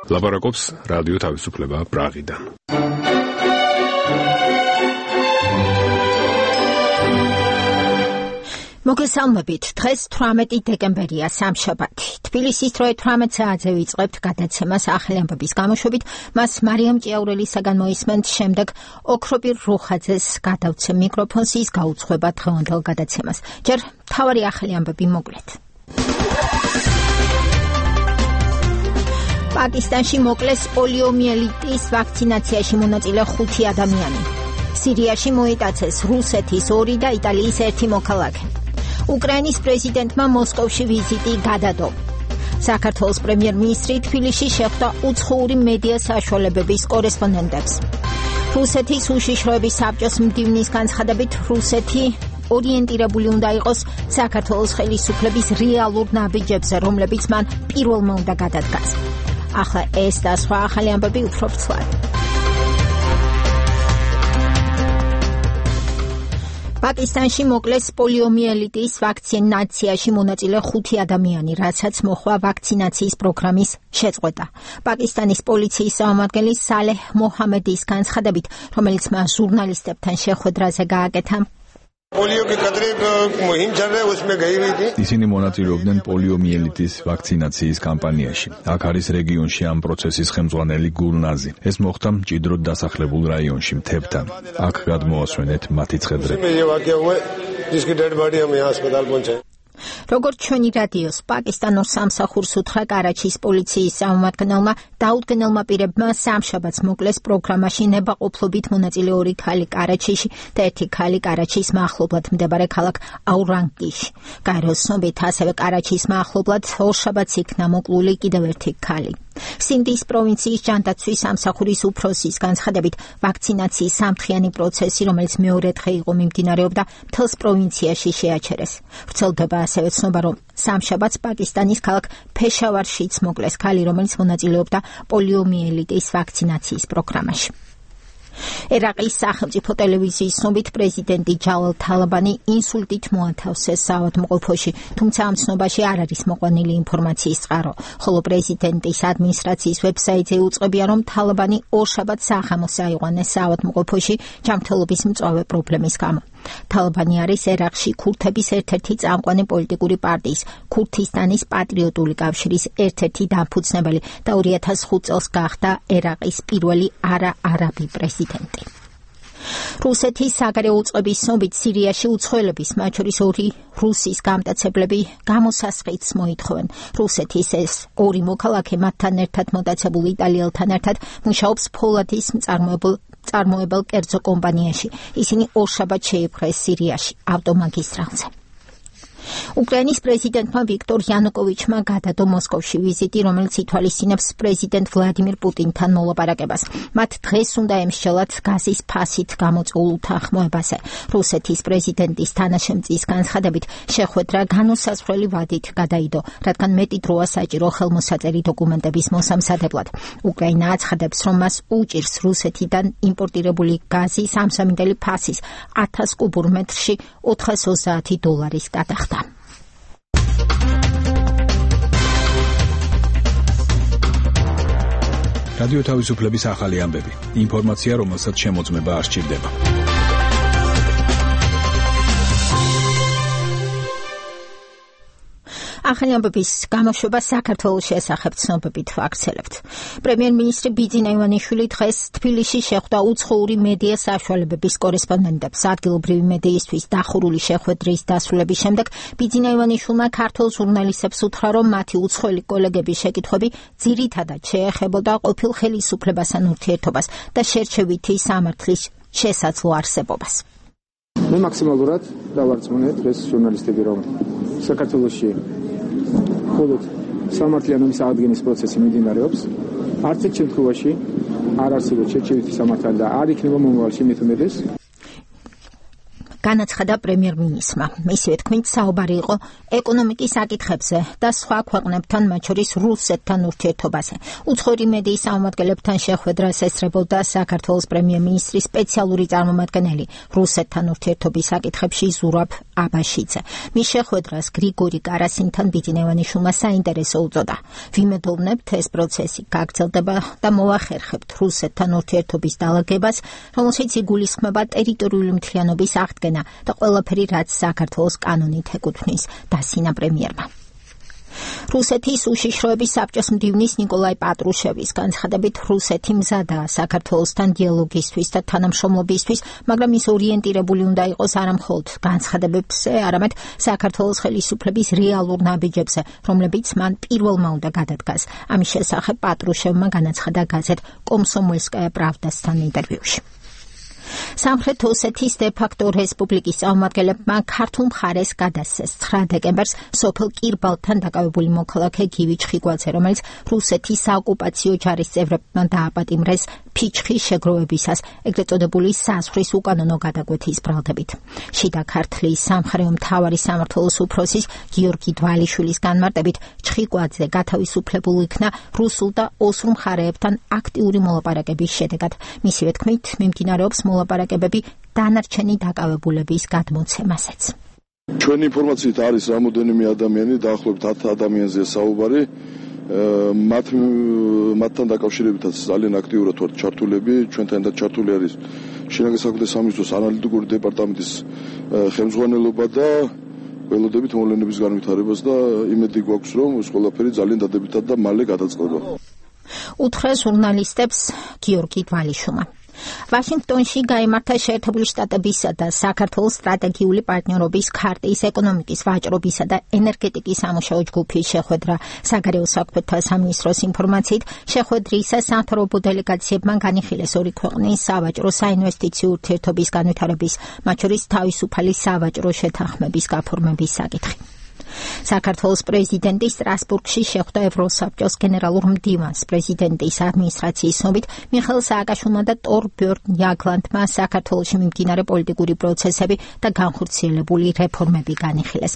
ლაპარაკობს რადიო თავისუფლება პრაღიდან. მოგესალმებით, დღეს 18 დეკემბერია, სამშაბათი. თბილისის დროით 18 საათზე ვიწყებთ გადაცემას ახალი ამბების გამოშვებით, მას მარიამ ჭიაურელისაგან მოისმენთ, შემდეგ ოქრობირ რუხაძეს გადავცემ მიკროფონს, ის გაუძღვება დღევანდელ გადაცემას. ჯერ მთავარი ახალი ამბები მოკლედ. პაკისტანში მოკლეს პოლიომიელიტის ვაქცინაციაში მონაწილე 5 ადამიანი. სირიაში მოიტაცეს რუსეთის 2 და იტალიის 1 მოქალაქე. უკრაინის პრეზიდენტმა მოსკოვში ვიზიტი გადადო. საქართველოს პრემიერ-მინისტრი თბილისში შეხვდა უცხოური მედია საშუალებების კორესპონდენტებს. რუსეთის უშიშროების საბჭოს მდივნის განცხადებით, რუსეთი ორიენტირებული უნდა იყოს საქართველოს ხელისუფლების რეალურ ნაბიჯებზე, რომლებიც მან პირველმა უნდა გადადგას. ახლა ეს და სხვა ახალი ამბები უფრო ვრცლად. პაკისტანში მოკლეს პოლიომიელიტის ვაქცინაციაში მონაწილე 5 ადამიანი, რასაც მოხდა ვაქცინაციის პროგრამის შეწყვეტა. პაკისტანის პოლიციის წარმომადგენელი სალეჰ მოჰამედის განცხადებით, რომელიც მას ჟურნალისტებთან შეხვედრაზე გააკეთა, ისინი მონაწილეობდნენ პოლიომიელიტის ვაქცინაციის კამპანიაში. აქ არის რეგიონში ამ პროცესის ხელმძღვანელი გულნაზი. ეს მოხდა მჭიდროდ დასახლებულ რაიონში, მთებთან. აქ გადმოასვენეთ მათი ცხედრები. როგორც ჩვენი რადიოს პაკისტანურ სამსახურს უთხრა კარაჩის პოლიციის წარმომადგენელმა, დაუდგენელმა პირებმა სამშაბათს მოკლეს პროგრამაში ნებაყოფლობით მონაწილე 2 ქალი კარაჩიში და 1 ქალი კარაჩის მახლობლად მდებარე ქალაქ აურანგკიში. გაეროს ცნობით, ასევე კარაჩის მახლობლად ორშაბათს იქნა მოკლული კიდევ 1 ქალი. სინდის პროვინციის ჯანდაცვის სამსახურის უფროსის განცხადებით, ვაქცინაციის სამთხიანი პროცესი, რომელიც მეორე დღე იყო მიმდინარეობდა, მთელს პროვინციაში შეაჩერეს. ვრცელდება ასევე ცნობა, რომ სამშაბათს პაკისტანის ქალაქ ფეშავარშიც მოკლეს ქალი, რომელიც მონაწილეობდა პოლიომიელიტის ვაქცინაციის პროგრამაში. ერაყის სახელმწიფო ტელევიზიის ცნობით, პრეზიდენტი ჯავალ თალაბანი ინსულტით მოათავსეს საავადმყოფოში, თუმცა ამ ცნობაში არ არის მოყვანილი ინფორმაციის წყარო, ხოლო პრეზიდენტის ადმინისტრაციის ვებსაიტზე უწყებია, რომ თალაბანი ორშაბათს საღამოს აიყვანეს საავადმყოფოში ჯანმრთელობის მწვავე პრობლემის გამო. თალაბანი არის ერაყში ქურთების ერთ-ერთი წამყვანი პოლიტიკური პარტიის, ქურთისტანის პატრიოტული კავშირის ერთ-ერთი დამფუძნებელი და 2005 წელს გახდა ერაყის პირველი არაარაბი პრეზიდენტი. რუსეთის საგარეო უწყების ცნობით, სირიაში უცხოელების, მათ შორის 2 რუსის გამტაცებლები გამოსასყიდს მოითხოვენ. რუსეთის ეს 2 მოქალაქე მათთან ერთად მოტაცებულ იტალიელთან ერთად მუშაობს ფოლადის მწარმოებელ კერძო კომპანიაში. ისინი ორშაბათს შეიპყრეს სირიაში, ავტომაგისტრალზე. უკრაინის პრეზიდენტმა ვიქტორ იანუკოვიჩმა გადადო მოსკოვში ვიზიტი, რომელიც ითვალისწინებს პრეზიდენტ ვლადიმირ პუტინთან მოლაპარაკებას. მათ დღეს უნდა ემსჯელათ გაზის ფასით გამოწვეულ უთანხმოებაზე. რუსეთის პრეზიდენტის თანაშემწის განცხადებით, შეხვედრა განუსაზღვრელი ვადით გადაიდო, რადგან მეტი დროა საჭირო ხელმოსაწერი დოკუმენტების მოსამზადებლად. უკრაინა აცხადებს, რომ მას უჭირს რუსეთიდან იმპორტირებული გაზი 3.3 ფასის 1000 კუბურ მეტრში $430 გადახდა. რადიო თავისუფლების ახალი ამბები. ინფორმაცია, რომელსაც შემოწმება არ სჭირდება. ახალი ამბების გამოშვება საქართველოს შესახებ ცნობებით ვაქცელებთ. პრემიერ-მინისტრი ბიძინა ივანიშვილი დღეს თბილისში შეხვდა უცხოური მედია საშუალებების კორესპონდენტებს. ადგილობრივი მედიისთვის დახურული შეხვედრის დასრულების შემდეგ ბიძინა ივანიშვილმა ქართულ ჟურნალისტებს უთხრა, რომ მათი უცხოელი კოლეგების შეკითხვები ძირითადად შეეხებოდა ყოფილ ხელისუფლებასთან ურთიერთობას და შერჩევითი სამართლის შესაძლო არსებობას. მე მაქსიმალურად დავარწმუნე დღეს ჟურნალისტები, რომ საქართველოში მხოლოდ სამართლიანობის აღდგენის პროცესი მიმდინარეობს. არც ერთ შემთხვევაში არ არსებობს შერჩევითი სამართალი და არ იქნება მომავალში მით უმეტეს. განაცხადა პრემიერ-მინისტრმა. მისივე თქმით, საუბარი იყო ეკონომიკის საკითხებზე და სხვა ქვეყნებთან, მათ შორის რუსეთთან ურთიერთობაზე. უცხოური მედიის წარმომადგენლებთან შეხვედრას ესწრებოდა საქართველოს პრემიერ-მინისტრის სპეციალური წარმომადგენელი რუსეთთან ურთიერთობის საკითხებში ზურაბ აბაშიძე. მის შეხვედრას გრიგორი კარასინთან ბიძინევანიშვილმა საინტერესო უწოდა. ვიმედოვნებთ, ეს პროცესი გაგრძელდება და მოახერხებთ რუსეთთან ურთიერთობის დალაგებას, რომელშიც იგულისხმება ტერიტორიული მთლიანობის აღდგენა და ყველაფერი, რაც საქართველოს კანონით ეკუთვნის, დასინა პრემიერმა. რუსეთის უშიშროების საბჭოს მდივნის ნიკოლაი პატრუშევის განცხადებით, რუსეთი მზადაა საქართველოსთან დიალოგისთვის და თანამშრომლობისთვის, მაგრამ ის ორიენტირებული უნდა იყოს არა მხოლოდ განცხადებებზე, არამედ საქართველოს ხელისუფლების რეალურ ნაბიჯებზე, რომლებიც მან პირველმა უნდა გადადგას. ამის შესახებ პატრუშევმა განაცხადა გაზეთ კომსომოლსკაია პრავდასთან ინტერვიუში. სამხრეთ ოსეთის დე-ფაქტო რესპუბლიკის წარმომადგენლებმა ქართულ მხარეს გადასცეს 9 დეკემბერს სოფელ კირბალთან დაკავებული მოქალაქე გივი ჩხიკვაძე, რომელიც რუსეთის საოკუპაციო ჯარის წევრებმა დააპატიმრეს ფიჩხის შეგროვებისას, ეგრეთ წოდებული საზღვრის უკანონო გადაკვეთის ბრალდებით. შიდა ქართლის სამხარეო მთავარი სამმართველოს უფროსის გიორგი დვალიშვილის განმარტებით, ჩხიკვაძე გათავისუფლებულ იქნა რუსულ და ოსურ მხარეებთან აქტიური მოლაპარაკების შედეგად. მისივე თქმით, მიმდინარეობს მოლაპარაკებები დანარჩენი დაკავებულების გადმოცემასაც. ჩვენი ინფორმაციით არის რამოდენიმე ადამიანი, დაახლოებით 10 ადამიანზეა საუბარი. მათთან დაკავშირებითაც ძალიან აქტიურად ვართ ჩართულები. ჩვენთან და ჩართული არის შინაგან საქმეთა სამინისტროს ანალიტიკური დეპარტამენტის ხელმძღვანელობა და ველოდებით მოვლენების განვითარებას და იმედი გვაქვს, რომ ეს ყველაფერი ძალიან დადებითად და მალე გადაწყდება. უთხრა ჟურნალისტებს გიორგი დვალიშვილმა. ვაშინგტონში გაიმართა შეერთებული შტატებისა და საქართველოს სტრატეგიული პარტნიორობის ქარტიის ეკონომიკის ვაჭრობისა და ენერგეტიკის სამუშაო ჯგუფის შეხვედრა. საგარეო საქმეთა სამინისტროს ინფორმაციით, შეხვედრისას სამთავრობო დელეგაციებმა განიხილეს ორი ქვეყნის სავაჭრო საინვესტიციო ურთიერთობის განვითარების, მათ შორის თავისუფალი სავაჭრო შეთანხმების გაფორმების საკითხი. საქართველოს პრეზიდენტი სტრასბურგში შეხვდა ევროსაბჭოს გენერალურ მდივანს. პრეზიდენტის ადმინისტრაციის ცნობით, მიხეილ სააკაშვილმა და ტორბjörn jaglandმა საქართველოში მიმდინარე პოლიტიკური პროცესები და განხორციელებული რეფორმები განიხილეს.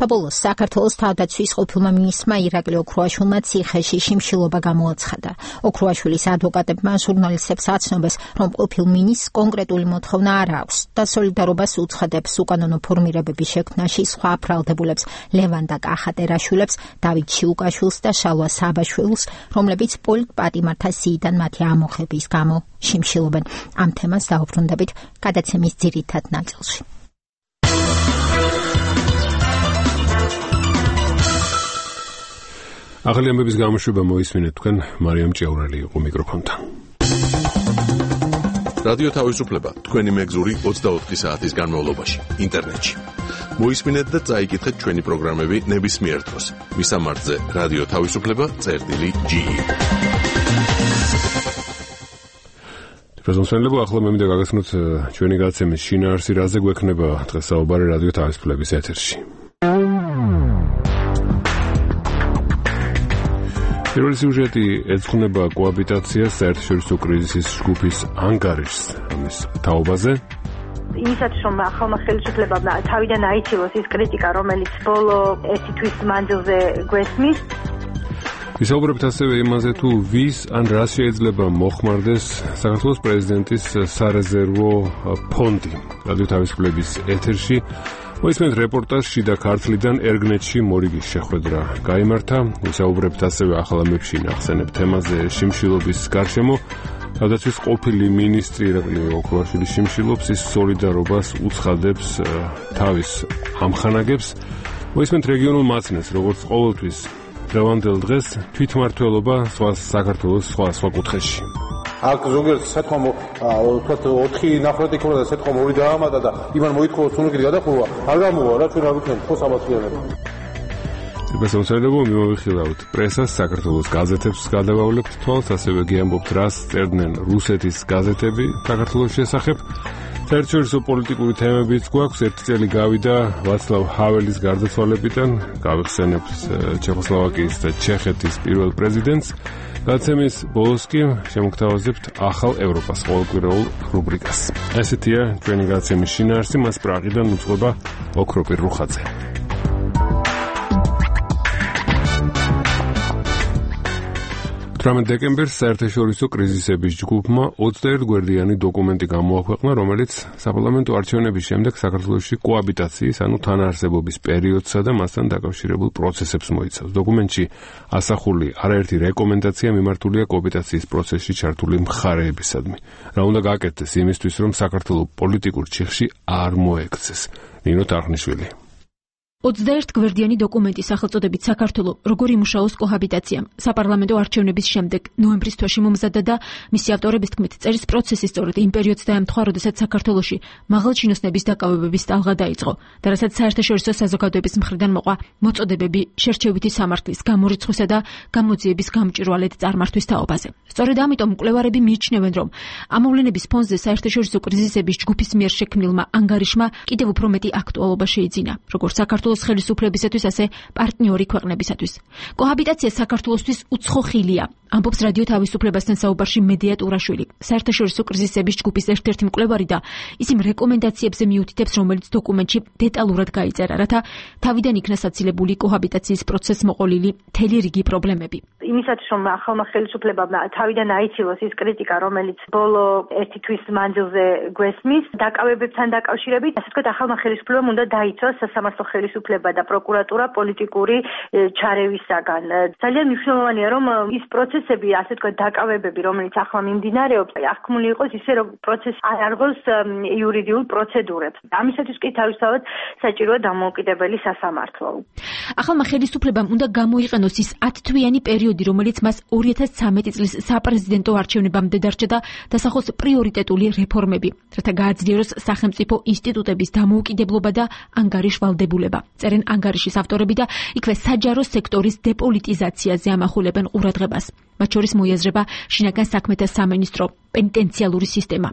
Tabulus საქართველოს თავდაცვის ყოფილმა მინისტრმა ირაკლი ოქრუაშვილმა ციხეში შიმშილობა გამოაცხადა. ოქრუაშვილის ადვოკატებმა ჟურნალისტებს აცნობეს, რომ ყოფილ მინისტრს კონკრეტული მოთხოვნა არ აქვს და სოლიდარობას უცხადებს უკანონო ფორმირებების შექმნაში სხვა ბრალდებულებს ლევან და კახატერაშვილებს, დავით შიუკაშვილს და შალვა საბაშვილს, რომლებიც პოლიტპატიმართა სიიდან მათი ამოხების გამო შიმშილობენ. ამ თემას დავუბრუნდებით გადაცემის ძირითად ნაწილში. ახალი ამბების გამოშვება მოისმინეთ თქვენ მარიამ ჭეურელი იყო მიკროფონთან. რადიო თავისუფლება თქვენი მეგზური 24 საათის განმავლობაში ინტერნეტში. მოისმინეთ და წაიკითხეთ ჩვენი პროგრამები ნებისმიერ დროს. მისამართზე რადიო თავისუფლება.ge. პრეზენტაციები ახლა მე მინდა გაგაცნოთ ჩვენი გადაცემის შინაარსი, რაზე გვექნება დღეს საუბარი რადიო თავისუფლების ეთერში. პირველი სიუჟეტი ეძღვნება კოაბიტაციას საერთაშორისო კრიზისის ჯგუფის ანგარიშს ამის თაობაზე. იმისათვის რომ ახალმა ხელისუფლებამ თავიდან აიცილოს ის კრიტიკა, რომელიც ბოლო 1 თვის მანძილზე გვესმის. ვისაუბრებთ ასევე იმაზე, თუ ვის ან რა შეიძლება მოხმარდეს საქართველოს პრეზიდენტის სარეზერვო ფონდი. რადიო თავისუფლების ეთერში მოისმენთ რეპორტაჟ შიდა ქართლიდან ერგნეტში მორიგის შეხვედრა გაიმართა. ვისაუბრებთ ასევე ახალ ამბებში ნახსენებ თემაზე შიმშილობის გარშემო. თავდაცვის ყოფილი მინისტრი ირაკლი ოქრუაშვილი შიმშილობს, ის სოლიდარობას უცხადებს თავის ამხანაგებს. მოისმენთ რეგიონულ მაცნეს, როგორც ყოველთვის დღევანდელ დღეს თვითმმართველობა საქართველოს სხვა კუთხეში. აქ ზოგიერთ სიტყვა ვთქვათ 4 ნახრეთი ქონდა და სიტყვა მორი დაამატა და იმან მოითხოვა სუნუქით გადახურვა. არ გამოვა რა, ჩვენ არ ვიქნებით ხო საბათლიანები. პრესონსერებო მიმოვიხილავთ პრესას, საქართველოს გაზეთებს გადავავლებთ თვალს, ასევე გიამბობთ რას წერდნენ რუსეთის გაზეთები საქართველოს შესახებ. საერთაშორისო პოლიტიკური თემებიც გვაქვს. 1 წელი გავიდა ვაცლავ ჰაველის გარდაცვალებიდან, გავიხსენებთ ჩეხოსლოვაკიის და ჩეხეთის პირველ პრეზიდენტს. გადაცემის ბოლოს კი შემოგთავაზებთ ახალ ევროპას ყოველკვირეულ რუბრიკას. ესეთია ჩვენი გადაცემის შინაარსი, მას პრაღიდან უძღვება ოქროპირ რუხაძე. 18 დეკემბერს საერთაშორისო კრიზისების ჯგუფმა 21 გვერდიანი დოკუმენტი გამოაქვეყნა, რომელიც საპარლამენტო არჩევნების შემდეგ საქართველოში კოაბიტაციის, ანუ თანაარსებობის პერიოდსა და მასთან დაკავშირებულ პროცესებს მოიცავს. დოკუმენტში ასახული არაერთი რეკომენდაცია მიმართულია კოაბიტაციის პროცესში ჩართული მხარეებისადმი. რა უნდა გააკეთდეს იმისთვის, რომ საქართველო პოლიტიკურ ჩიხში არ მოექცეს. ნინო თარხნიშვილი. 21 გვერდიანი დოკუმენტის სახელწოდებით საქართველო როგორ იმუშაოს კოჰაბიტაციამ საპარლამენტო არჩევნების შემდეგ ნოემბრის თვეში მომზადდა და მისი ავტორების თქმით წერის პროცესი სწორედ იმ პერიოდს დაემთხვა, როდესაც საქართველოში მაღალჩინოსნების დაკავებების ტალღა დაიწყო და რასაც საერთაშორისო საზოგადოების მხრიდან მოყვა მოწოდებები შერჩევითი სამართლის გამორიცხვისა და გამოძიების გამჭვირვალედ წარმართვის თაობაზე. სწორედ ამიტომ მკვლევარები მიიჩნევენ, რომ ამ მოვლენების ფონზე საერთაშორისო კრიზისების ჯგუფის მიერ შექმნილმა ანგარიშმა კიდევ უფრო მეტი აქტუალობა შეიძინა, როგორც საქართველოს ხელისუფლებისათვის, ასე პარტნიორი ქვეყნებისათვის. კოჰაბიტაცია საქართველოსთვის უცხო ხილია, ამბობს რადიო თავისუფლებასთან საუბარში მედია ტურაშვილი, საერთაშორისო კრიზისების ჯგუფის ერთ-ერთი მკვლევარი და ის იმ რეკომენდაციებზე მიუთითებს, რომელიც დოკუმენტში დეტალურად გაიწერა, რათა თავიდან იქნა საცილებული კოჰაბიტაციის პროცესს მოყოლილი მთელი რიგი პრობლემები. იმისათვის, რომ ახალმა ხელისუფლებამ თავიდან აიცილოს ის კრიტიკა, რომელიც ბოლო ერთი თვის მანძილზე გვესმის, დაკავებებთან დაკავშირებით, ასე ვთქვათ, ახალმა ხელისუფლებამ უნდა დაიცვას სასამართლო ხელისუფლება და პროკურატურა პოლიტიკური ჩარევისაგან. ძალიან მნიშვნელოვანია, რომ ის პროცესები, ასე ვთქვათ, დაკავებები, რომელიც ახლა მიმდინარეობს, აღქმული იყოს ისე, რომ პროცესი არ არღოს იურიდიულ პროცედურებს. ამისათვის კი თავისთავად საჭიროა დამოუკიდებელი სასამართლო. ახალმა ხელისუფლებამ უნდა გამოიყენოს ის 10 თვიანი პერიოდი, რომელიც მას 2013 წლის საპრეზიდენტო არჩევნებამდე დარჩა და დასახოს პრიორიტეტული რეფორმები, რათა გააძლიეროს სახელმწიფო ინსტიტუტების დამოუკიდებლობა და ანგარიშვალდებულება. წერენ ანგარიშის ავტორები და იქვე საჯარო სექტორის დეპოლიტიზაციაზე ამახულებენ ყურადღებას. მათ შორის მოიაზრება შინაგან საქმეთა სამინისტრო, პენიტენციალური სისტემა.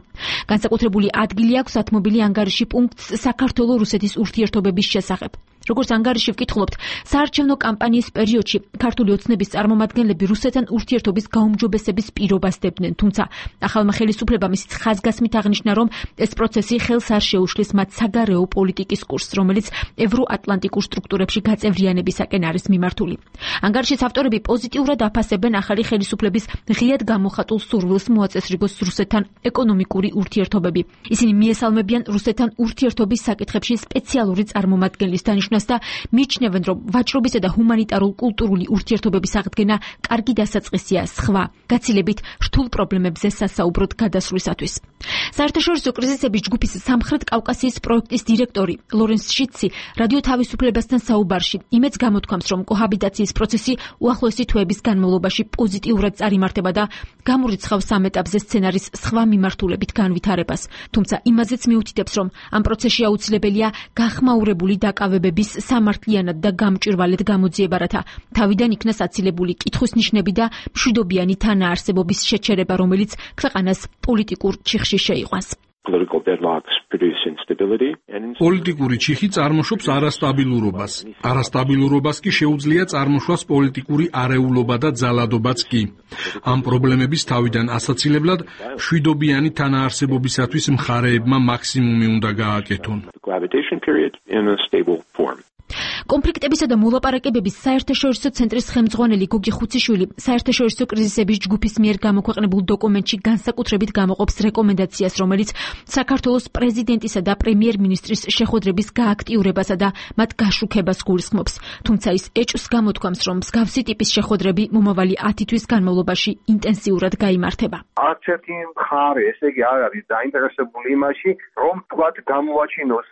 განსაკუთრებული ადგილი აქვს ათმობილი ანგარიში პუნქტს საქართველო-რუსეთის ურთიერთობების შესახებ. როგორც ანგარიში ვკითხულობთ, საარჩევნო კამპანიის პერიოდში ქართული ოცნების წარმომადგენლები რუსეთთან ურთიერთობის გაუმჯობესების პირობას დებდნენ, თუმცა ახალმა ხელისუფლებამ ისიც ხაზგასმით აღნიშნა, რომ ეს პროცესი ხელს არ შეუშლის მათ საგარეო პოლიტიკის კურსს, რომელიც ევროატლანტიკურ სტრუქტურებში გაწევრიანებისაკენ არის მიმართული. ანგარიშის ავტორები პოზიტიურად აფასებენ ახალი ხელისუფლების ღიად გამოხატულ სურვილს მოაწესრიგოს რუსეთთან ეკონომიკური ურთიერთობები. ისინი მიესალმებიან რუსეთთან ურთიერთობის საკითხებში სპეციალური წარმომადგენლის დანიშვნას და მიიჩნევენ, რომ ვაჭრობისა და ჰუმანიტარულ-კულტურული ურთიერთობების აღდგენა კარგი დასაწყისია სხვა, გაცილებით რთულ პრობლემებზე სასაუბროდ გადასვლისათვის. საერთაშორისო კრიზისების ჯგუფის სამხრეთ კავკასიის პროექტის დირექტორი ლორენს შიცი რადიო თავისუფლებასთან საუბარში იმედს გამოთქვამს, რომ კოჰაბიტაციის პროცესი უახლოესი თვეების განმავლობაში პოზიტიურად წარიმართება და გამორიცხავს ამ ეტაპზე სცენარის სხვა მიმართულებით განვითარებას. თუმცა იმაზეც მიუთითებს, რომ ამ პროცესში აუცილებელია გახმაურებული დაკავებების სამართლიანად და გამჭვირვალედ გამოძიება, რათა თავიდან იქნა საცილებული კითხვის ნიშნები და მშვიდობიანი თანაარსებობის შეჩერება, რომელიც ქვეყანას პოლიტიკურ ჩიხში შეიყვანს. პოლიტიკური ჩიხი წარმოშობს არასტაბილურობას. არასტაბილურობას კი შეუძლია წარმოშვას პოლიტიკური არეულობა და ძალადობაც კი. ამ პრობლემების თავიდან ასაცილებლად მშვიდობიანი თანაარსებობისათვის მხარეებმა მაქსიმუმი უნდა გააკეთონ. კონფლიქტებისა და მოლაპარაკებების საერთაშორისო ცენტრის ხელმძღვანელი გოგი ხუციშვილი საერთაშორისო კრიზისების ჯგუფის მიერ გამოქვეყნებულ დოკუმენტში განსაკუთრებით გამოყოფს რეკომენდაციას, რომელიც საქართველოს პრეზიდენტისა და პრემიერ-მინისტრის შეხვედრების გააქტიურებასა და მათ გაშუქებას გულისხმობს. თუმცა ის ეჭვს გამოთქვამს, რომ მსგავსი ტიპის შეხვედრები მომავალი 10 თვის განმავლობაში ინტენსიურად გაიმართება. არც ერთი მხარე, ესე იგი, არ არის დაინტერესებული იმაში, რომ თქვათ გამოაჩინოს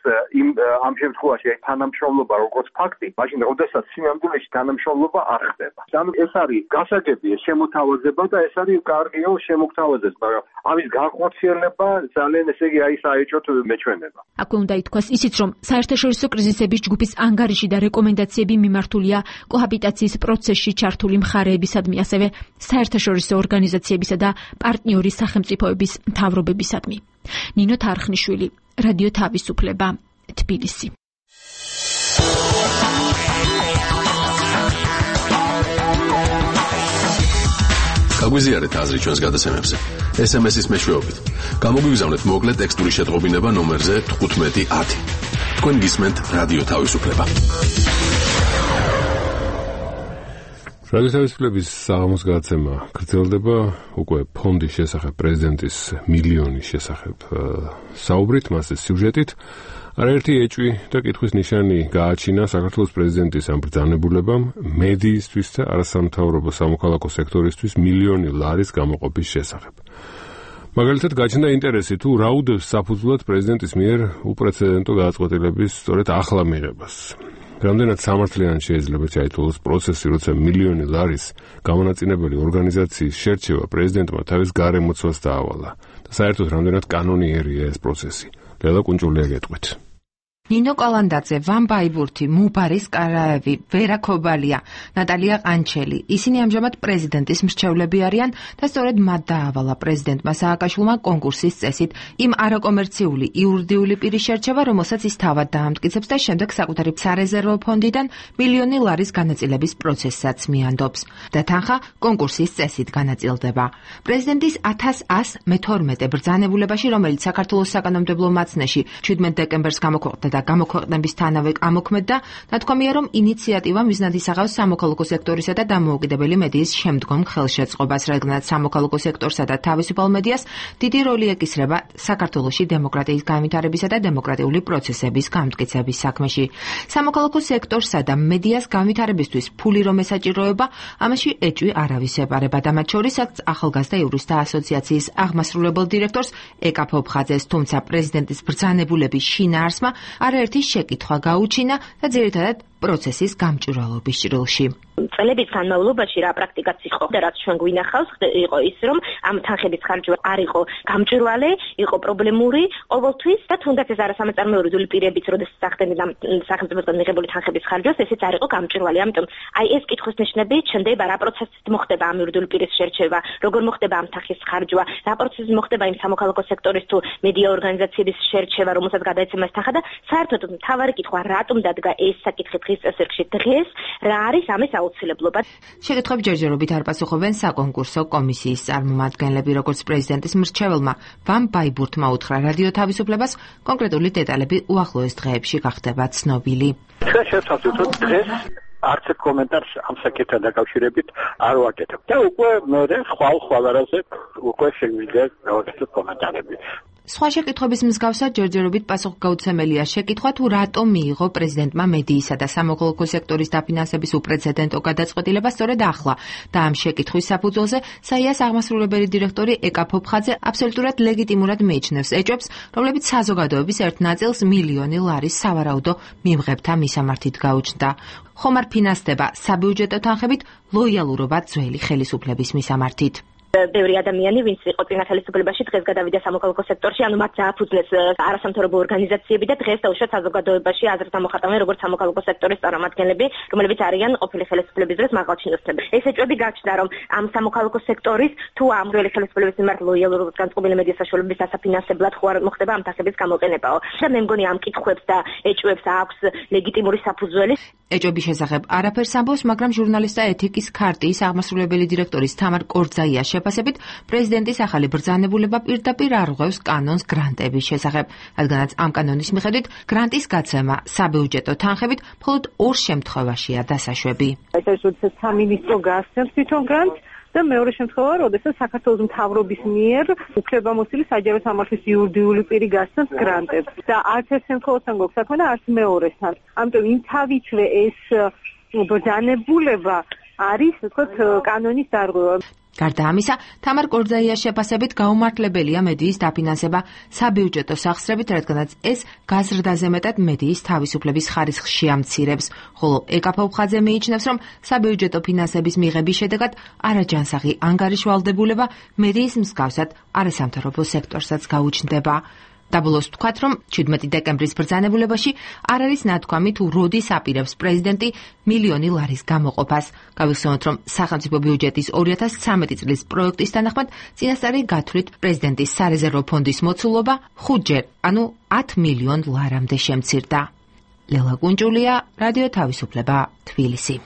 ამ შემთხვევაში თანამშრომლობა როგორც ფაქტი, მაშინ როდესაც სინამდვილეში თანამშრომლობა არ ხდება. ანუ ეს არის გასაგებია შემოთავაზება და ეს არის კარგია შემოგთავაზდეს, მაგრამ ამის განხორციელება ძალიან, ესე იგი, აი საეჭვოდ მეჩვენება. აქვე უნდა ითქვას ისიც, რომ საერთაშორისო კრიზისების ჯგუფის ანგარიში და რეკომენდაციები მიმართულია კოჰაბიტაციის პროცესში ჩართული მხარეებისადმი, ასევე საერთაშორისო ორგანიზაციებისა და პარტნიორი სახელმწიფოების მთავრობებისადმი. ნინო თარხნიშვილი, რადიო თავისუფლება, თბილისი. გაგვიზიარეთ აზრი ჩვენს გადაცემებზე. SMS-ის მეშვეობით. გამოგვიგზავნეთ მოკლე ტექსტური შეტყობინება ნომერზე 1510. თქვენ გისმენთ რადიო თავისუფლება. რადიო თავისუფლების საღამოს გადაცემა გრძელდება უკვე ფონდის შესახებ პრეზიდენტის მილიონის შესახებ საუბრით, მასზე სიუჟეტით. არაერთი ეჭვი და კითხვის ნიშანი გააჩინა საქართველოს პრეზიდენტის ამ ბრძანებულებამ მედიისთვის და არასამთავრობო სამოქალაქო სექტორისთვის მილიონი ლარის გამოყოფის შესახებ. მაგალითად, გაჩნდა ინტერესი თუ რა უდევს საფუძვლად პრეზიდენტის მიერ უპრეცედენტო გადაწყვეტილების სწორედ ახლა მიღებას. რამდენად სამართლიანი შეიძლება ჩაითვალოს პროცესი, როცა მილიონი ლარის გამონაწილებელი ორგანიზაციის შერჩევა პრეზიდენტმა თავის გარემოცვას დაავალა და საერთოდ რამდენად კანონიერია ეს პროცესი. ლელა კუნჭულია გეტყვით. ნინო კალანდაძე, ვან ბაიბურთი, მუბარის კარაევი, ვერა ქობალია, ნატალია ყანჩელი. ისინი ამჟამად პრეზიდენტის მრჩევლები არიან და სწორედ მათ დაავალა პრეზიდენტმა სააკაშვილმა კონკურსის წესით იმ არაკომერციული იურიდიული პირის შერჩევა, რომელსაც ის თავად დაამტკიცებს და შემდეგ საკუთარი სარეზერვო ფონდიდან მილიონი ლარის განაწილების პროცესსაც მიანდობს. და თანხა კონკურსის წესით განაწილდება. პრეზიდენტის 1112 ბრძანებულებაში, რომელიც საქართველოს საკანონმდებლო მაცნეში 17 დეკემბერს გამოქვეყნდა და გამოქვეყნებისთანავე ამოქმედდა, ნათქვამია, რომ ინიციატივა მიზნად ისახავს სამოქალაქო სექტორისა და დამოუკიდებელი მედიის შემდგომ ხელშეწყობას, რადგანაც სამოქალაქო სექტორსა და თავისუფალ მედიას დიდი როლი ეკისრება საქართველოში დემოკრატიის განვითარებისა და დემოკრატიული პროცესების გამტკიცების საქმეში. სამოქალაქო სექტორსა და მედიას განვითარებისთვის ფული რომ ესაჭიროება, ამაში ეჭვი არავის ეპარება და მათ შორისაც ახალგაზრდა იურისტთა ასოციაციის აღმასრულებელ დირექტორს ეკა ფოფხაძეს, თუმცა პრეზიდენტის ბრძანებულების შინაარსმა არაერთი შეკითხვა გაუჩინა და ძირითადად პროცესის გამჭვირვალობის ჭრილში. წლების განმავლობაში რა პრაქტიკაც იყო და რაც ჩვენ გვინახავს, იყო ის, რომ ამ თანხების ხარჯვა არ იყო გამჭვირვალე, იყო პრობლემური ყოველთვის და თუნდაც ეს არასამეწარმეო იურიდიული პირებიც, როდესაც სახდენენ ამ სახელმწიფოსგან მიღებული თანხების ხარჯვას, ესეც არ იყო გამჭვირვალე. ამიტომ აი ეს კითხვის ნიშნები ჩნდება, რა პროცესით მოხდება ამ იურიდიული პირის შერჩევა, როგორ მოხდება ამ თანხის ხარჯვა, რა პროცესით მოხდება იმ სამოქალაქო სექტორის თუ მედია ორგანიზაციების შერჩევა, რომელსაც გადაეცემა ეს თანხა და საერთოდ მთავარი კითხვა, რატომ დადგა ეს საკითხი დღის წესრიგში დღეს, რა არის ამის აუცილებლობა. შეკითხვებს ჯერჯერობით არ პასუხობენ საკონკურსო კომისიის წარმომადგენლები, როგორც პრეზიდენტის მრჩეველმა ვან ბაიბურთმა უთხრა რადიო თავისუფლებას, კონკრეტული დეტალები უახლოეს დღეებში გახდება ცნობილი. ჩვენ შევსაბუთოთ დღეს არც ერთ კომენტარს ამ საკითხთან დაკავშირებით არ ვაკეთებ. და უკვე მე ხვალ არაზე უკვე შეგვიძლია გავაკეთოთ კომენტარები. სხვა შეკითხვების მსგავსად ჯერჯერობით პასუხგაუცემელია შეკითხვა თუ რატომ მიიღო პრეზიდენტმა მედიისა და სამოქალაქო სექტორის დაფინანსების უპრეცედენტო გადაწყვეტილება სწორედ ახლა და ამ შეკითხვის საფუძველზე საიას აღმასრულებელი დირექტორი ეკა ფოფხაძე აბსოლუტურად ლეგიტიმურად მიიჩნევს ეჭვებს, რომლებიც საზოგადოების ერთ ნაწილს მილიონი ლარის სავარაუდო მიმღებთა მისამართით გაუჩნდა. ხომ არ ფინანსდება საბიუჯეტო თანხებით ლოიალურობა ძველი ხელისუფლების მისამართით. ბევრი ადამიანი, ვინც იყო წინა ხელისუფლებაში, დღეს გადავიდა სამოქალაქო სექტორში, ანუ მათ დააფუძნეს არასამთავრობო ორგანიზაციები და დღეს დაუშვათ საზოგადოებაში აზრთა მოხატავენ როგორც სამოქალაქო სექტორის წარმომადგენლები, რომლებიც არიან ყოფილი ხელისუფლების დროს მაღალჩინოსნები. ეს ეჭვები გაჩნდა, რომ ამ სამოქალაქო სექტორის თუ ამ ძველი ხელისუფლების მიმართ ლოიალურობის განწყობილი მედია საშუალებების დასაფინანსებლად ხო არ მოხდება ამ თანხების გამოყენებაო. და მე მგონი ამ კითხვებს და ეჭვებს აქვს ლეგიტიმური საფუძველი. ეჭვების შესახებ არაფერს ამბობს, მაგრამ ჟურნალისტთა ეთიკის ქარტიის აღმასრულებელი დირექტორის თამარ კორძაიას შეფასებით, პრეზიდენტის ახალი ბრძანებულება პირდაპირ არღვევს კანონს გრანტების შესახებ, რადგანაც ამ კანონის მიხედვით გრანტის გაცემა საბიუჯეტო თანხებით მხოლოდ ორ შემთხვევაშია დასაშვები. ეს როდესაც სამინისტრო გასცემს თვითონ გრანტს და მეორე შემთხვევა, როდესაც საქართველოს მთავრობის მიერ უფლებამოსილი საჯარო სამართლის იურიდიული პირი გასცემს გრანტებს. და არც ერთ შემთხვევასთან გვაქვს საქმე და არც მეორესთან. ამიტომ იმ თავისვე ეს ბრძანებულება არის, ვთქვათ, კანონის დარღვევა. გარდა ამისა, თამარ კორძაიას შეფასებით გაუმართლებელია მედიის დაფინანსება საბიუჯეტო სახსრებით, რადგანაც ეს გაზრდაზე მეტად მედიის თავისუფლების ხარისხს შეამცირებს, ხოლო ეკა ფოფხაძე მიიჩნევს, რომ საბიუჯეტო ფინანსების მიღების შედეგად არაჯანსაღი ანგარიშვალდებულება მედიის მსგავსად არასამთავრობო სექტორსაც გაუჩნდება. დაბოლოს ვთქვათ, რომ 17 დეკემბრის ბრძანებულებაში არ არის ნათქვამი თუ როდის აპირებს პრეზიდენტი მილიონი ლარის გამოყოფას. გავიხსენოთ, რომ სახელმწიფო ბიუჯეტის 2013 წლის პროექტის თანახმად წინასწარი გათვლით პრეზიდენტის სარეზერვო ფონდის მოცულობა 5-ჯერ, ანუ 10 მილიონ ლარამდე შემცირდა. ლელა კუნჭულია, რადიო თავისუფლება, თბილისი.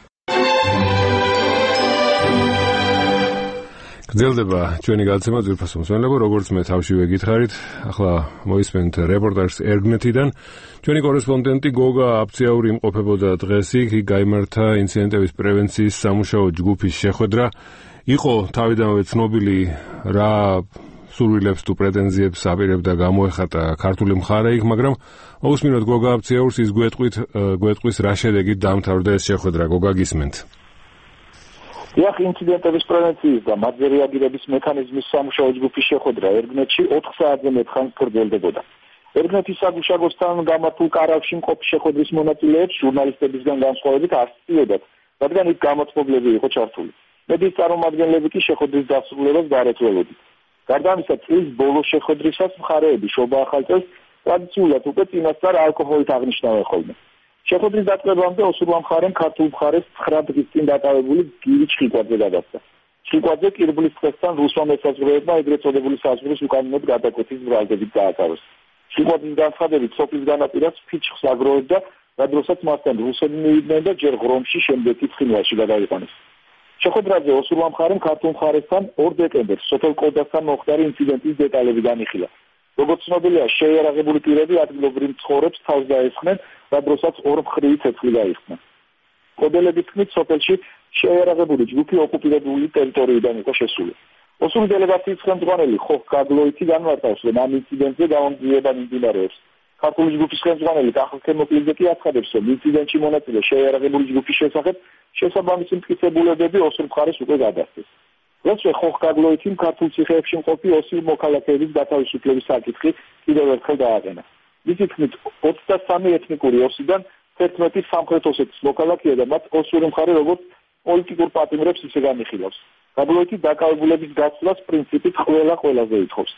გრძელდება ჩვენი გადაცემა ძვირფასო მსმენელებო, როგორც მე თავშივე გითხარით, ახლა მოისმენთ რეპორტაჟს ერგნეთიდან. ჩვენი კორესპონდენტი გოგა აფციაური იმყოფებოდა დღეს იქ გაიმართა ინციდენტების პრევენციის სამუშაო ჯგუფის შეხვედრა. იყო თავიდანვე ცნობილი რა სურვილებს თუ პრეტენზიებს აპირებდა გამოეხატა ქართული მხარე იქ, მაგრამ მოусმინოთ გოგა აფციაურს ის გვეტყვის რა შედეგით დაამთავრდა ეს შეხვედრა. გოგა გისმენთ. დიახ, ინციდენტების პრევენციის და მათზე რეაგირების მექანიზმის სამუშაო ჯგუფის შეხვედრა ერგნეთში 4 საათზე მეტ ხანს გრძელდებოდა. ერგნეთის საგუშაგოსთან გამართულ კარავში მყოფ შეხვედრის მონაწილეებს ჟურნალისტებისგან განსხვავებით არ სწიოდათ, რადგან იქ გამოცდილები იყო ჩართული. მედიის წარმომადგენლები კი შეხვედრის დასრულებას გარეთველოდით. გარდა ამისა, წლის ბოლოს შეხვედრისას მხარეები შობა ახალწელს ტრადიციულად უკვე წინასწარ ალკოჰოლით აღნიშნავენ ხოლმე. შეხვედრის დაწყებამდე ოსურვა მხარემ ქართულ მხარეს 9 დღის წინ დაკავებული გირი ჩხიკვაძე გადასცა. ჩხიკვაძე კირბლის დღესთან რუსმა მესაზღვრეებმა ეგრეთ წოდებული საზღვრის უკანონოდ გადაკვეთის ბრალდებით დააკავეს. ჩხიკვაძის განცხადებით, სოფლის განაპირას ფიჩხს აგროვებდა, რადგანაც მასთან რუსები მივიდნენ და ჯერ ღრომში, შემდეგ კი ცხინვალში გადაიყვანეს. შეხვედრაზე ოსურვა მხარემ ქართულ მხარესთან 2 დეკემბერს სოფელ კოდასთან მოხდარი ინციდენტის დეტალები განიხილა. როგორც ცნობილია, შეიარაღებული პირები ადგილობრივ მცხოვრებს თავს დაესხნენ, რადგანაც 2 მხრივი ცეცხლი გაიხსნა. კოდელების თქმით, სოფელში შეიარაღებული ჯგუფი ოკუპირებული ტერიტორიიდან იყო შესული. ოსური დელეგაციის ხელმძღვანელი ხოხ გაგლოიცი განმარტავს, რომ ამ ინციდენტზე გამომძიება მიმდინარეობს. ქართული ჯგუფის ხელმძღვანელი კახალ მოკლიდзе კი აცხადებს, რომ ინციდენტში მონაწილე შეიარაღებული ჯგუფის შესახებ შესაბამისი მტკიცებულებები ოსურ მხარეს უკვე გადასცეს. როცა ხოხ გაგლოიციმ ქართულ ციხეებში მყოფი ოსურ მოქალაქეების გათავისუფლების საკითხი კიდევ ერთხელ დააყენა. მისი თქმით, 23 ეთნიკური ოსიდან 11 სამხრეთ ოსეთის მოქალაქეა და მათ ოსური მხარე როგორც პოლიტიკურ პატიმრებს ისე განიხილავს. გაგლოიცი დაკავებულების გაცვლას პრინციპით ყველაზე ითხოვს.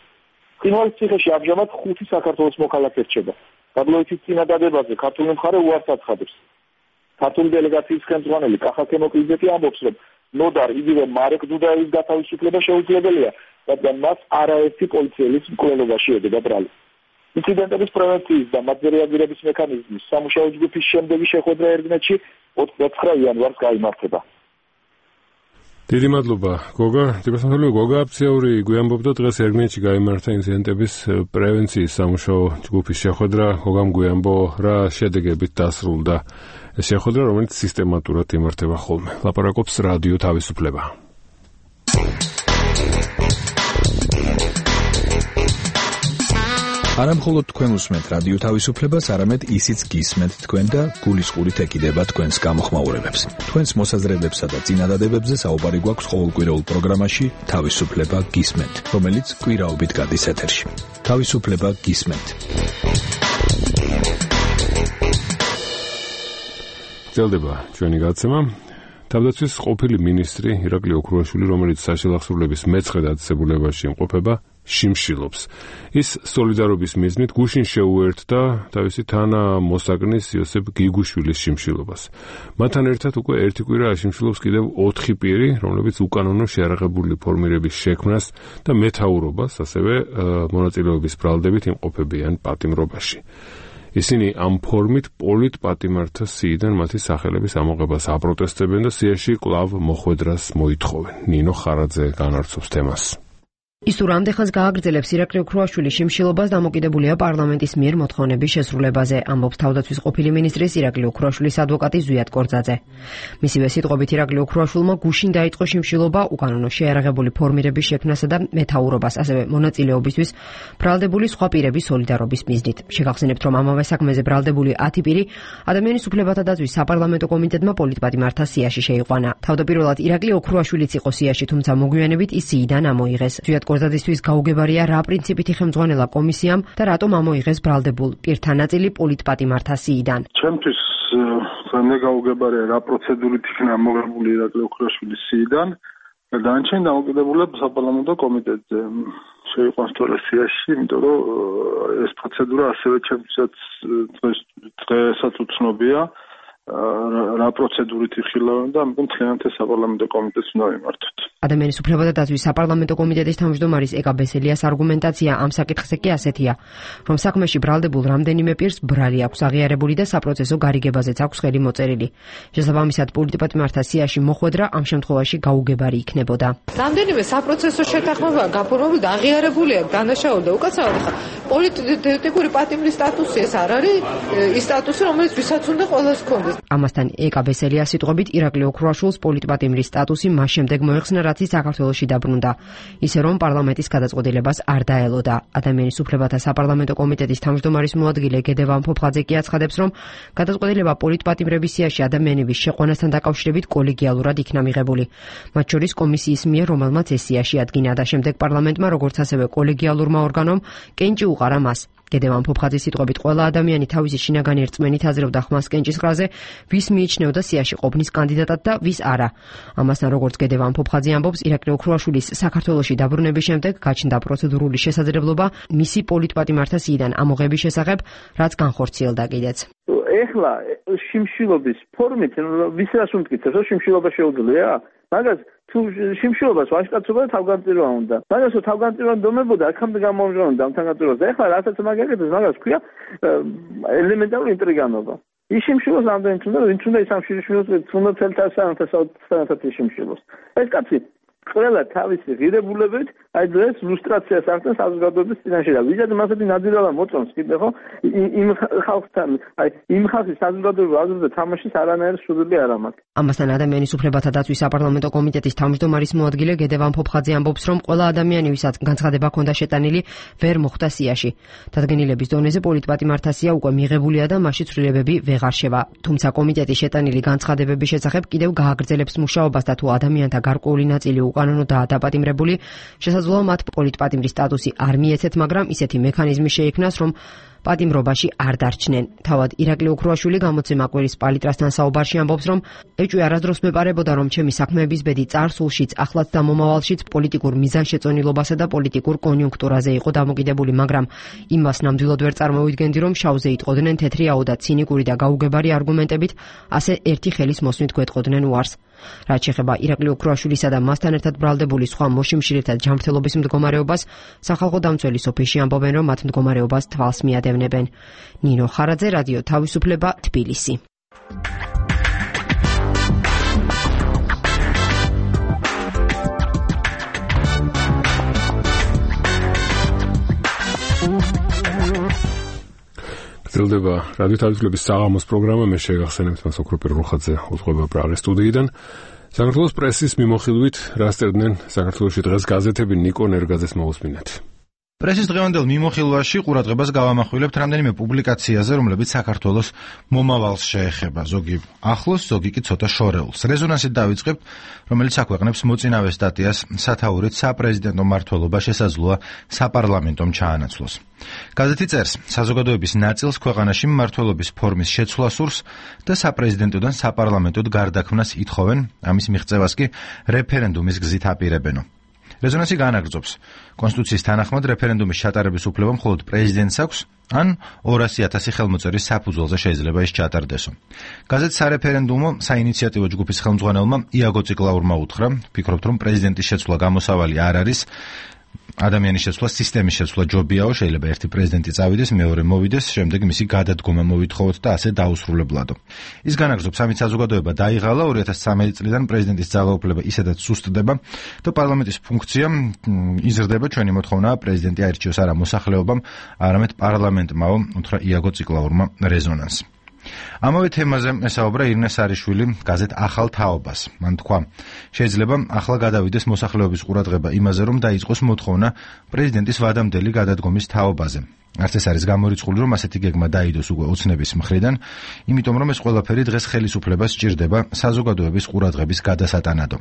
ცხინვალის ციხეში ამჟამად 5 საქართველოს მოქალაქე რჩება. გაგლოიცის წინადადებაზე ქართული მხარე უარს აცხადებს. ქართული დელეგაციის ხელმძღვანელი კახალ მოკლიდзе კი ამბობს, რომ ნოდარ იგივე მარეკ დუდაევის გათავისუფლება შეუძლებელია, რადგან მას არაერთი პოლიციელის მკვლელობაში ედება ბრალი. ინციდენტების პრევენციის და მათზე რეაგირების მექანიზმის სამუშაო ჯგუფის შემდეგი შეხვედრა ერგნეთში 29 იანვარს გაიმართება. დიდი მადლობა, გოგა. გოგა აფციაური გვიამბობდა დღეს ერგნეთში გაიმართა ინციდენტების პრევენციის სამუშაო ჯგუფის შეხვედრა. გოგამ გვიამბო რა შედეგებით დასრულდა ეს შეხვედრა, რომელიც სისტემატურად იმართება ხოლმე. ლაპარაკობს რადიო თავისუფლება. არა მხოლოდ თქვენ უსმენთ რადიო თავისუფლებას, არამედ ისიც გისმენთ თქვენ და გულისყურით ეკიდება თქვენს გამოხმაურებებს. თქვენს მოსაზრებებსა და წინადადებებზე საუბარი გვაქვს ყოველკვირეულ პროგრამაში თავისუფლება გისმენთ, რომელიც კვირაობით გადის ეთერში. თავისუფლება გისმენთ. გრძელდება ჩვენი გადაცემა. თავდაცვის ყოფილი მინისტრი ირაკლი ოქრუაშვილი, რომელიც საშელახსოვრლების მეცხრე დაწესებულებაში იმყოფება, შიმშილობს. ის სოლიდარობის მიზნით გუშინ შეუერთდა თავისი თანამოსაგნის იოსებ გიგუშვილის შიმშილობას. მათთან ერთად უკვე ერთი კვირა აშიმშილობს კიდევ 4 პირი, რომლებიც უკანონო შეიარაღებული ფორმირების შექმნას და მეთაურობას, ასევე მონაწილეობის ბრალდებით იმყოფებიან პატიმრობაში. ისინი ამ ფორმით პოლიტპატიმართა სიიდან მათი სახელების ამოღებას აპროტესტებენ და სიაში კვლავ მოხვედრას მოითხოვენ. ნინო ხარაძე განარცობს თემას. ის თუ რამდენხანს გააგრძელებს ირაკლი ოქრუაშვილის შიმშილობას, დამოკიდებულია პარლამენტის მიერ მოთხოვნების შესრულებაზე, ამბობს თავდაცვის ყოფილი მინისტრის ირაკლი ოქრუაშვილის ადვოკატი ზვიად კორძაძე. მისივე სიტყვებით ირაკლი ოქრუაშვილმა გუშინ დაიწყო შიმშილობა უკანონო შეიარაღებული ფორმირების შექმნასა და მეთაურობას, ასევე მონაწილეობისთვის ბრალდებული სხვა პირების სოლიდარობის მიზნით. შეგახსენებთ, რომ ამავე საქმეზე ბრალდებული 10 პირი ადამიანის უფლებათა დაცვის საპარლამენტო კომიტეტმა პოლიტპატიმართა სიაში შეიყვანა. თავდაპირველად ირაკლი ოქრუაშვილიც იყო სიაში, თუმცა მოგვიანებით ის სიიდან ამოიღეს. კორძადისთვის გაუგებარია რა პრინციპით იხელმძღვანელა კომისიამ და რატომ ამოიღეს ბრალდებულ პირთა ნაწილი პოლიტპატიმართა სიიდან. ჩემთვის ძალიან გაუგებარია რა პროცედურით იქნა ამოღებული ირაკლი ოქრუაშვილის სიიდან და დანარჩენი დამოკიდებულია საპარლამენტო კომიტეტზე. შეიყვანს თორე სიაში, იმიტომ რომ ეს პროცედურა ასევე ჩემთვისაც დღესაც უცნობია. რა პროცედურით იხილავენ და ამიტომ მთლიანად საპარლამენტო კომიტეტს უნდა მიმართოთ. ადამიანის უფლებათა დაცვის საპარლამენტო კომიტეტის თავმჯდომარის ეკა ბესელიას არგუმენტაცია ამ საკითხზე კი ასეთია, რომ საქმეში ბრალდებულ რამდენიმე პირს ბრალი აქვს აღიარებული და საპროცესო გარიგებაზეც აქვს ხელი მოწერილი. შესაბამისად, პოლიტპატიმართა სიაში მოხვედრა ამ შემთხვევაში გაუგებარი იქნებოდა. რამდენიმე საპროცესო შეთანხმება გაფორმებული და აღიარებული აქვს დანაშაული და უკაცრავად ხა პოლიტიკური პატიმრის სტატუსი ეს არ არის ის სტატუსი, რომელიც ვისაც უნდა ყველას ჰქონდეს. ამასთან ეკა ბესელიას სიტყვებით ირაკლი ოქრუაშვილს პოლიტპატიმრის სტატუსი მას შემდეგ მოეხსნა, რაც ის საქართველოში დაბრუნდა. ისე რომ პარლამენტის გადაწყვეტილებას არ დაელოდა. ადამიანის უფლებათა საპარლამენტო კომიტეტის თავმჯდომარის მოადგილე გედევან ფოფხაძე კი აცხადებს, რომ გადაწყვეტილება პოლიტპატიმრების სიაში ადამიანების შეყვანასთან დაკავშირებით კოლეგიალურად იქნა მიღებული. მათ შორის კომისიის მიერ, რომელმაც ეს სიაში ადგინა და შემდეგ პარლამენტმა, როგორც ასევე კოლეგიალურმა ორგანომ კენჭი უყარა მას. გედევან ფოფხაძის სიტყვებით ყველა ადამიანი თავისი შინაგანი რწმენით აზრობდა ხმას კენჭისყრაზე, ვის მიიჩნეოდა სიაში ყოფნის კანდიდატად და ვის არა. ამასთან, როგორც გედევან ფოფხაძე ამბობს, ირაკლი ოქრუაშვილის საქართველოში დაბრუნების შემდეგ გაჩნდა პროცედურული შესაძლებლობა მისი პოლიტპატიმართა სიიდან ამოღების შესახებ, რაც განხორციელდა კიდეც. ეხლა შიმშილობის ფორმით ვისაც უმტკიცებს, რომ შიმშილობა შეუძლია? მაგას თუ შიმშილობას ვაჟკაცობა და თავგანწირვა უნდა. მაგას თავგანწირვა დომებოდა, აქამდე გამომჟღავნდა ამ თავგანწირვას. ეხლა რასაც მაგაკეთებს, მაგას ქვია ელემენტარული ინტრიგანობა. ის შიმშილოს რამდენიც უნდა, ვინც უნდა ის ამ შიმშილოს უნდა თელთასანათად შიმშილოს. ეს კაცი ყველა თავისი ღირებულებით აი დღეს ლუსტრაციას ახდენს საზოგადოების წინაშე და ვიზად მასეთი ნადირალა მოწონს კიდე ხო იმ ხალხთან აი იმ ხალხის საზოგადოებრივ აზრზე თამაშის არანაირი სურვილი არ ამაქვს. ამასთან ადამიანის უფლებათა დაცვის საპარლამენტო კომიტეტის თავმჯდომარის მოადგილე გედევან ფოფხაძე ამბობს, რომ ყველა ადამიანი, ვისაც განცხადება ჰქონდა შეტანილი, ვერ მოხვდა სიაში. დადგენილების დონეზე პოლიტპატიმართა სია უკვე მიღებულია და მასში ცვლილებები ვეღარ შევა. თუმცა კომიტეტის შეტანილი განცხადებების შესახებ კიდევ გააგრძელებს მუშაობას და თუ ადამიანთა გარკვეული ნაწილი უკანონოდაა დაპატიმრებული, შესაძლოა მათ პოლიტპატიმრის სტატუსი არ მიეცეთ, მაგრამ ისეთი მექანიზმი შეიქმნას, რომ პატიმრობაში არ დარჩნენ. თავად ირაკლი ოქრუაშვილი გამოცემა კვირის პალიტრასთან საუბარში ამბობს, რომ ეჭვი არასდროს მეპარებოდა, რომ ჩემი საქმეების ბედი წარსულშიც, ახლაც და მომავალშიც პოლიტიკურ მიზანშეწონილობასა და პოლიტიკურ კონიუნქტურაზე იყო დამოკიდებული, მაგრამ იმას ნამდვილად ვერ წარმოვიდგენდი, რომ შავზე იტყოდნენ თეთრიაო და ცინიკური და გაუგებარი არგუმენტებით, ასე ერთი ხელის მოსვლით გვეტყოდნენ უარს. რაც შეეხება ირაკლი ოქრუაშვილისა და მასთან ერთად ბრალდებული სხვა მოშიმშილეთა ჯანმრთელობის მდგომარეობას, სახალხო დამცველის ოფისში ამბობენ, რომ მათ მდგომარეობას თვალს მიადევნებენ. ნინო ხარაძე, რადიო თავისუფლება, თბილისი. გრძელდება რადიო თავისუფლების საღამოს პროგრამა. მე შეგახსენებთ მას ოქროპირ რუხაძე უძღვება პრაღის სტუდიიდან. საქართველოს პრესის მიმოხილვით რა სწერდნენ საქართველოში დღეს გაზეთები, ნიკო ნერგაძეს მოусმინეთ. პრესის დღევანდელ მიმოხილვაში ყურადღებას გავამახვილებთ რამდენიმე პუბლიკაციაზე, რომლებიც საქართველოს მომავალს შეეხება, ზოგი ახლოს, ზოგი კი ცოტა შორეულს. რეზონანსით დავიწყებთ, რომელიც აქვეყნებს მოწინავე სტატიას სათაურით საპრეზიდენტო მმართველობა შესაძლოა საპარლამენტომ ჩაანაცვლოს. გაზეთი წერს, საზოგადოების ნაწილს ქვეყანაში მმართველობის ფორმის შეცვლა სურს და საპრეზიდენტოდან საპარლამენტოდ გარდაქმნას ითხოვენ, ამის მიღწევას კი რეფერენდუმის გზით აპირებენო. რეზონანსი განაგრძობს. კონსტიტუციის თანახმად რეფერენდუმის ჩატარების უფლება მხოლოდ პრეზიდენტს აქვს, ან 200,000 ხელმოწერის საფუძველზე შეიძლება ის ჩატარდესო. გაზეთს სარეფერენდუმო საინიციატივო ჯგუფის ხელმძღვანელმა იაგო ციკლაურმა უთხრა, ფიქრობთ, რომ პრეზიდენტის შეცვლა გამოსავალი არ არის, ადამიანის შეცვლა, სისტემის შეცვლა ჯობიაო, შეიძლება ერთი პრეზიდენტი წავიდეს, მეორე მოვიდეს, შემდეგ მისი გადადგომა მოვითხოვოთ და ასე დაუსრულებლადო. ის განაგრძობს, ამით საზოგადოება დაიღალა, 2013 წლიდან პრეზიდენტის ძალაუფლება ისედაც სუსტდება და პარლამენტის ფუნქცია იზრდება. ჩვენი მოთხოვნაა პრეზიდენტი აირჩიოს არა მოსახლეობამ, არამედ პარლამენტმაო, უთხრა იაგო ციკლაურმა რეზონანსს. ამავე თემაზე ესაუბრა ირინე სარიშვილი გაზეთ ახალ თაობას. მან თქვა, შეიძლება ახლა გადავიდეს მოსახლეობის ყურადღება იმაზე, რომ დაიწყოს მოთხოვნა პრეზიდენტის ვადამდელი გადადგომის თაობაზე. არც ეს არის გამორიცხული, რომ ასეთი გეგმა დაიდოს უკვე ოცნების მხრიდან, იმიტომ რომ ეს ყველაფერი დღეს ხელისუფლებას სჭირდება საზოგადოების ყურადღების გადასატანადო.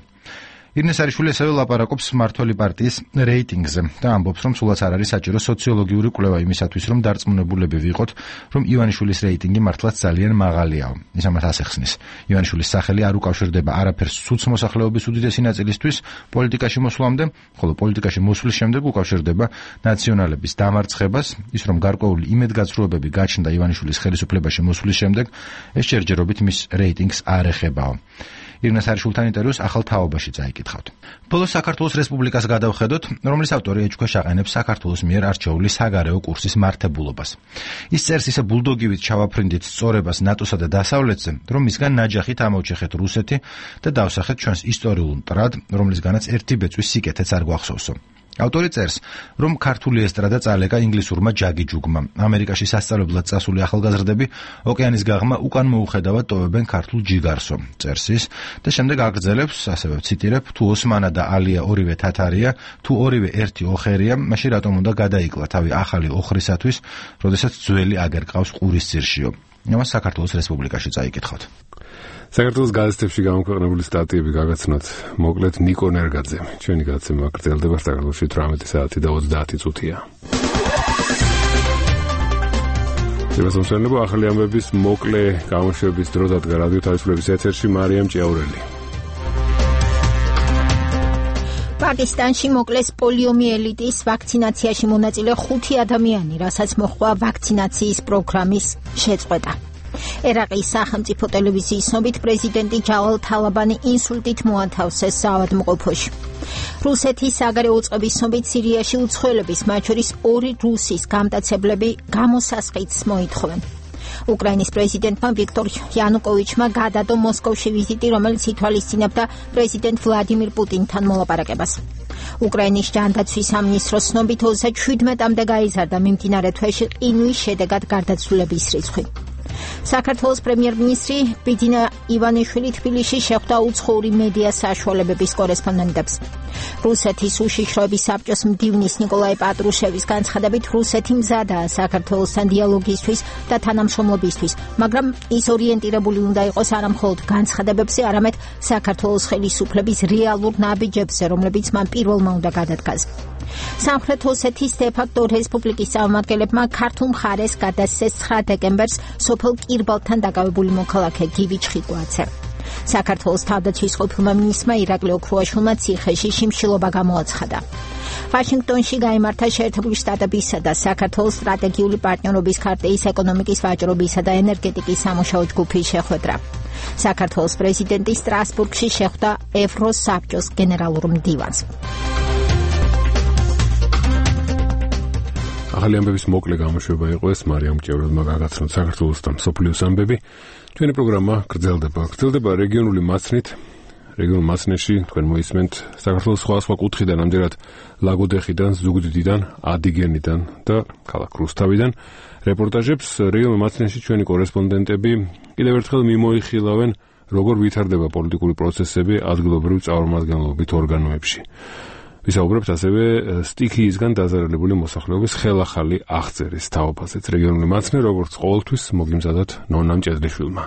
ირინე სარიშვილი ასევე ლაპარაკობს მმართველი პარტიის რეიტინგზე და ამბობს, რომ სულაც არ არის საჭირო სოციოლოგიური კვლევა იმისათვის, რომ დარწმუნებულები ვიყოთ, რომ ივანიშვილის რეიტინგი მართლაც ძალიან მაღალიაო. ის ამას ასახსნის. ივანიშვილის სახელი არ უკავშირდება არაფერს სუც მოსახლეობის უდიდესი ნაწილისთვის პოლიტიკაში მოსვლამდე, ხოლო პოლიტიკაში მოსვლის შემდეგ უკავშირდება ნაციონალების დამარცხებას, ის რომ გარკვეული იმედგაცრუებები გაჩნდა ივანიშვილის ხელისუფლებაში მოსვლის შემდეგ, ეს ჯერჯერობით მის რეიტინგს არ ეხებაო. ირინე სარიშვილთან ინტერვიუს ახალ თაობაში წაიკითხავთ. ბოლოს საქართველოს რესპუბლიკას გადავხედოთ, რომლის ავტორი ეჭქვეშ აყენებს საქართველოს მიერ არჩეული საგარეო კურსის მართებულობას. ის წერს ისე ბულდოგივით ჩავაფრინდით სწორებას ნატოსა და დასავლეთზე, რომ მისგან ნაჯახით ამოვჭეხეთ რუსეთი და დავსახეთ ჩვენს ისტორიულ მტრად, რომლისგანაც ერთი ბეწვის სიკეთეც არ გვახსოვსო. ავტორი წერს, რომ ქართული ესტრადა წალეკა ინგლისურმა ჯაგიჯუგმა. ამერიკაში სასწავლებლად წასული ახალგაზრდები ოკეანის გაღმა უკან მოუხედავად ტოვებენ ქართულ ჯიგარსო. წერს ის და შემდეგ აგრძელებს, ასევე ვციტირებ, თუ ოსმანა და ალია ორივე თათარია, თუ ორივე ერთი ოხერია, მაშინ რატომ უნდა გადაიკლა თავი ახალი ოხრისათვის, როდესაც ძველი აგერ ყავს ყურისძირშიო. ამას საქართველოს რესპუბლიკაში წაიკითხავთ. საქართველოს გაზეთებში გამოქვეყნებული სტატიები გაგაცნოთ მოკლედ ნიკო ნერგაძემ. ჩვენი გადაცემა გრძელდება საქართველოში 18 საათი და 30 წუთია. შემოსვლენებო ახალი ამბების მოკლე გამოშვების დრო დადგა რადიო თავისუფლების ეთერში მარიამ ჭიაურელი. პაკისტანში მოკლეს პოლიომიელიტის ვაქცინაციაში მონაწილე 5 ადამიანი, რასაც მოჰყვა ვაქცინაციის პროგრამის შეწყვეტა. ერაყის სახელმწიფო ტელევიზიის ცნობით პრეზიდენტი ჯავალ თალაბანი ინსულტით მოათავსეს საავადმყოფოში. რუსეთის საგარეო წყობის ცნობით სირიაში უცხოელების, მათ შორის 2 რუსის გამტაცებლები გამოსასყიდს მოითხოვენ. უკრაინის პრეზიდენტმა ვიქტორ იანუკოვიჩმა გადადო მოსკოვში ვიზიტი, რომელიც ითვალისწინებდა პრეზიდენტ ვლადიმირ პუტინთან მოლაპარაკებას. უკრაინის ჯანდაცვის სამინისტროს ცნობით 37-მდე გაიზარდა მიმდინარე თვეში ყინვის შედეგად გარდაცვლილების რიცხვი. საქართველოს პრემიერ-მინისტრი ბიძინა ივანიშვილი თბილისში შეხვდა უცხოური მედია საშუალებების კორესპონდენტებს. რუსეთის უშიშროების საბჭოს მდივნის ნიკოლაი პატრუშევის განცხადებით, რუსეთი მზადაა საქართველოსთან დიალოგისთვის და თანამშრომლობისთვის, მაგრამ ის ორიენტირებული უნდა იყოს არა მხოლოდ განცხადებებზე, არამედ საქართველოს ხელისუფლების რეალურ ნაბიჯებზე, რომლებიც მან პირველმა უნდა გადადგას. სამხრეთ ოსეთის დე-ფაქტო რესპუბლიკის წარმომადგენლებმა ქართულ მხარეს გადასცეს 9 დეკემბერს სოფელ კირბალთან დაკავებული მოქალაქე გივი ჩხიკვაძე. საქართველოს თავდაცვის ყოფილმა მინისტრმა ირაკლი ოქრუაშვილმა ციხეში შიმშილობა გამოაცხადა. ვაშინგტონში გაიმართა შეერთებული შტატებისა და საქართველოს სტრატეგიული პარტნიორობის ქარტიის ეკონომიკის, ვაჭრობისა და ენერგეტიკის სამუშაო ჯგუფის შეხვედრა. საქართველოს პრეზიდენტი სტრასბურგში შეხვდა ევროსაბჭოს გენერალურ მდივანს. ახალი ამბების მოკლე გამოშვება იყო ეს მარიამ ჭიაურელმა გაგაცნოთ საქართველოს და მსოფლიოს ამბები. ჩვენი პროგრამა გრძელდება რეგიონული მაცნით. რეგიონულ მაცნეში თქვენ მოისმენთ საქართველოს სხვა კუთხიდან, ამჯერად ლაგოდეხიდან, ზუგდიდიდან, ადიგენიდან და ქალაქ რუსთავიდან რეპორტაჟებს. რეგიონულ მაცნეში ჩვენი კორესპონდენტები კიდევ ერთხელ მიმოიხილავენ, როგორ ვითარდება პოლიტიკური პროცესები ადგილობრივ წარმომადგენლობით ორგანოებში. ვისაუბრებთ ასევე სტიქიისგან დაზარალებული მოსახლეობის ხელახალი აღწერის თაობაზეც. რეგიონული მაცნე, როგორც ყოველთვის, მოგიმზადათ ნონა მჭედლიშვილმა.